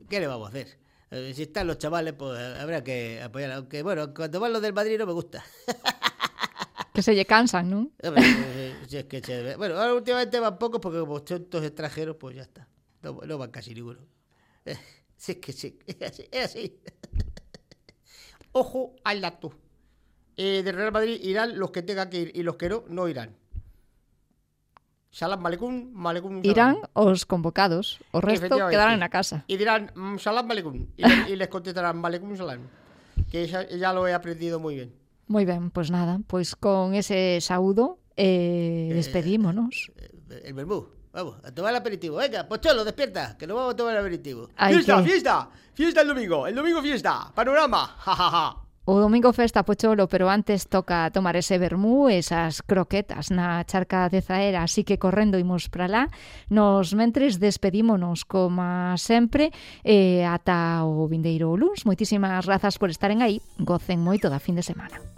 ¿qué le vamos a hacer? Eh, Si están los chavales, pues habrá que apoyarla. Aunque, bueno, cuando van los del Madrid no me gusta.
Que se lle cansan, non?
Hombre, eh, si es que se- bueno, ahora últimamente van pocos porque como son todos extranjeros, pues ya está. No, no van casi ninguno. Eh, Si es que sí, es así. Es así.
Ojo al dato. Eh, de Real Madrid irán los que tengan que ir y los que no, no irán. Salam Malecún, Malecún Salam.
Irán os convocados, o resto
Efectivamente.
quedarán na casa.
Y dirán mm, Salam Malecún. Y, le- y les contestarán Malecún Salam. Que ya, ya lo he aprendido muy bien.
Moi ben, pois nada, pois con ese saúdo eh, despedímonos.
El vermú. Vamos, a tomar el aperitivo. Venga, Pocholo, despierta, que nos vamos a tomar el aperitivo.
Hay
¡Fiesta,
que-
fiesta! ¡Fiesta el domingo! ¡El domingo fiesta! ¡Panorama! ¡Ja, ja, ja!
O domingo festa Pocholo, pero antes toca tomar ese vermú, esas croquetas na charca de Zaera, así que correndo imos para lá. Nos mentres despedímonos como sempre e ata o vindeiro luns. Moitísimas grazas por estaren aí, gocen moito da fin de semana.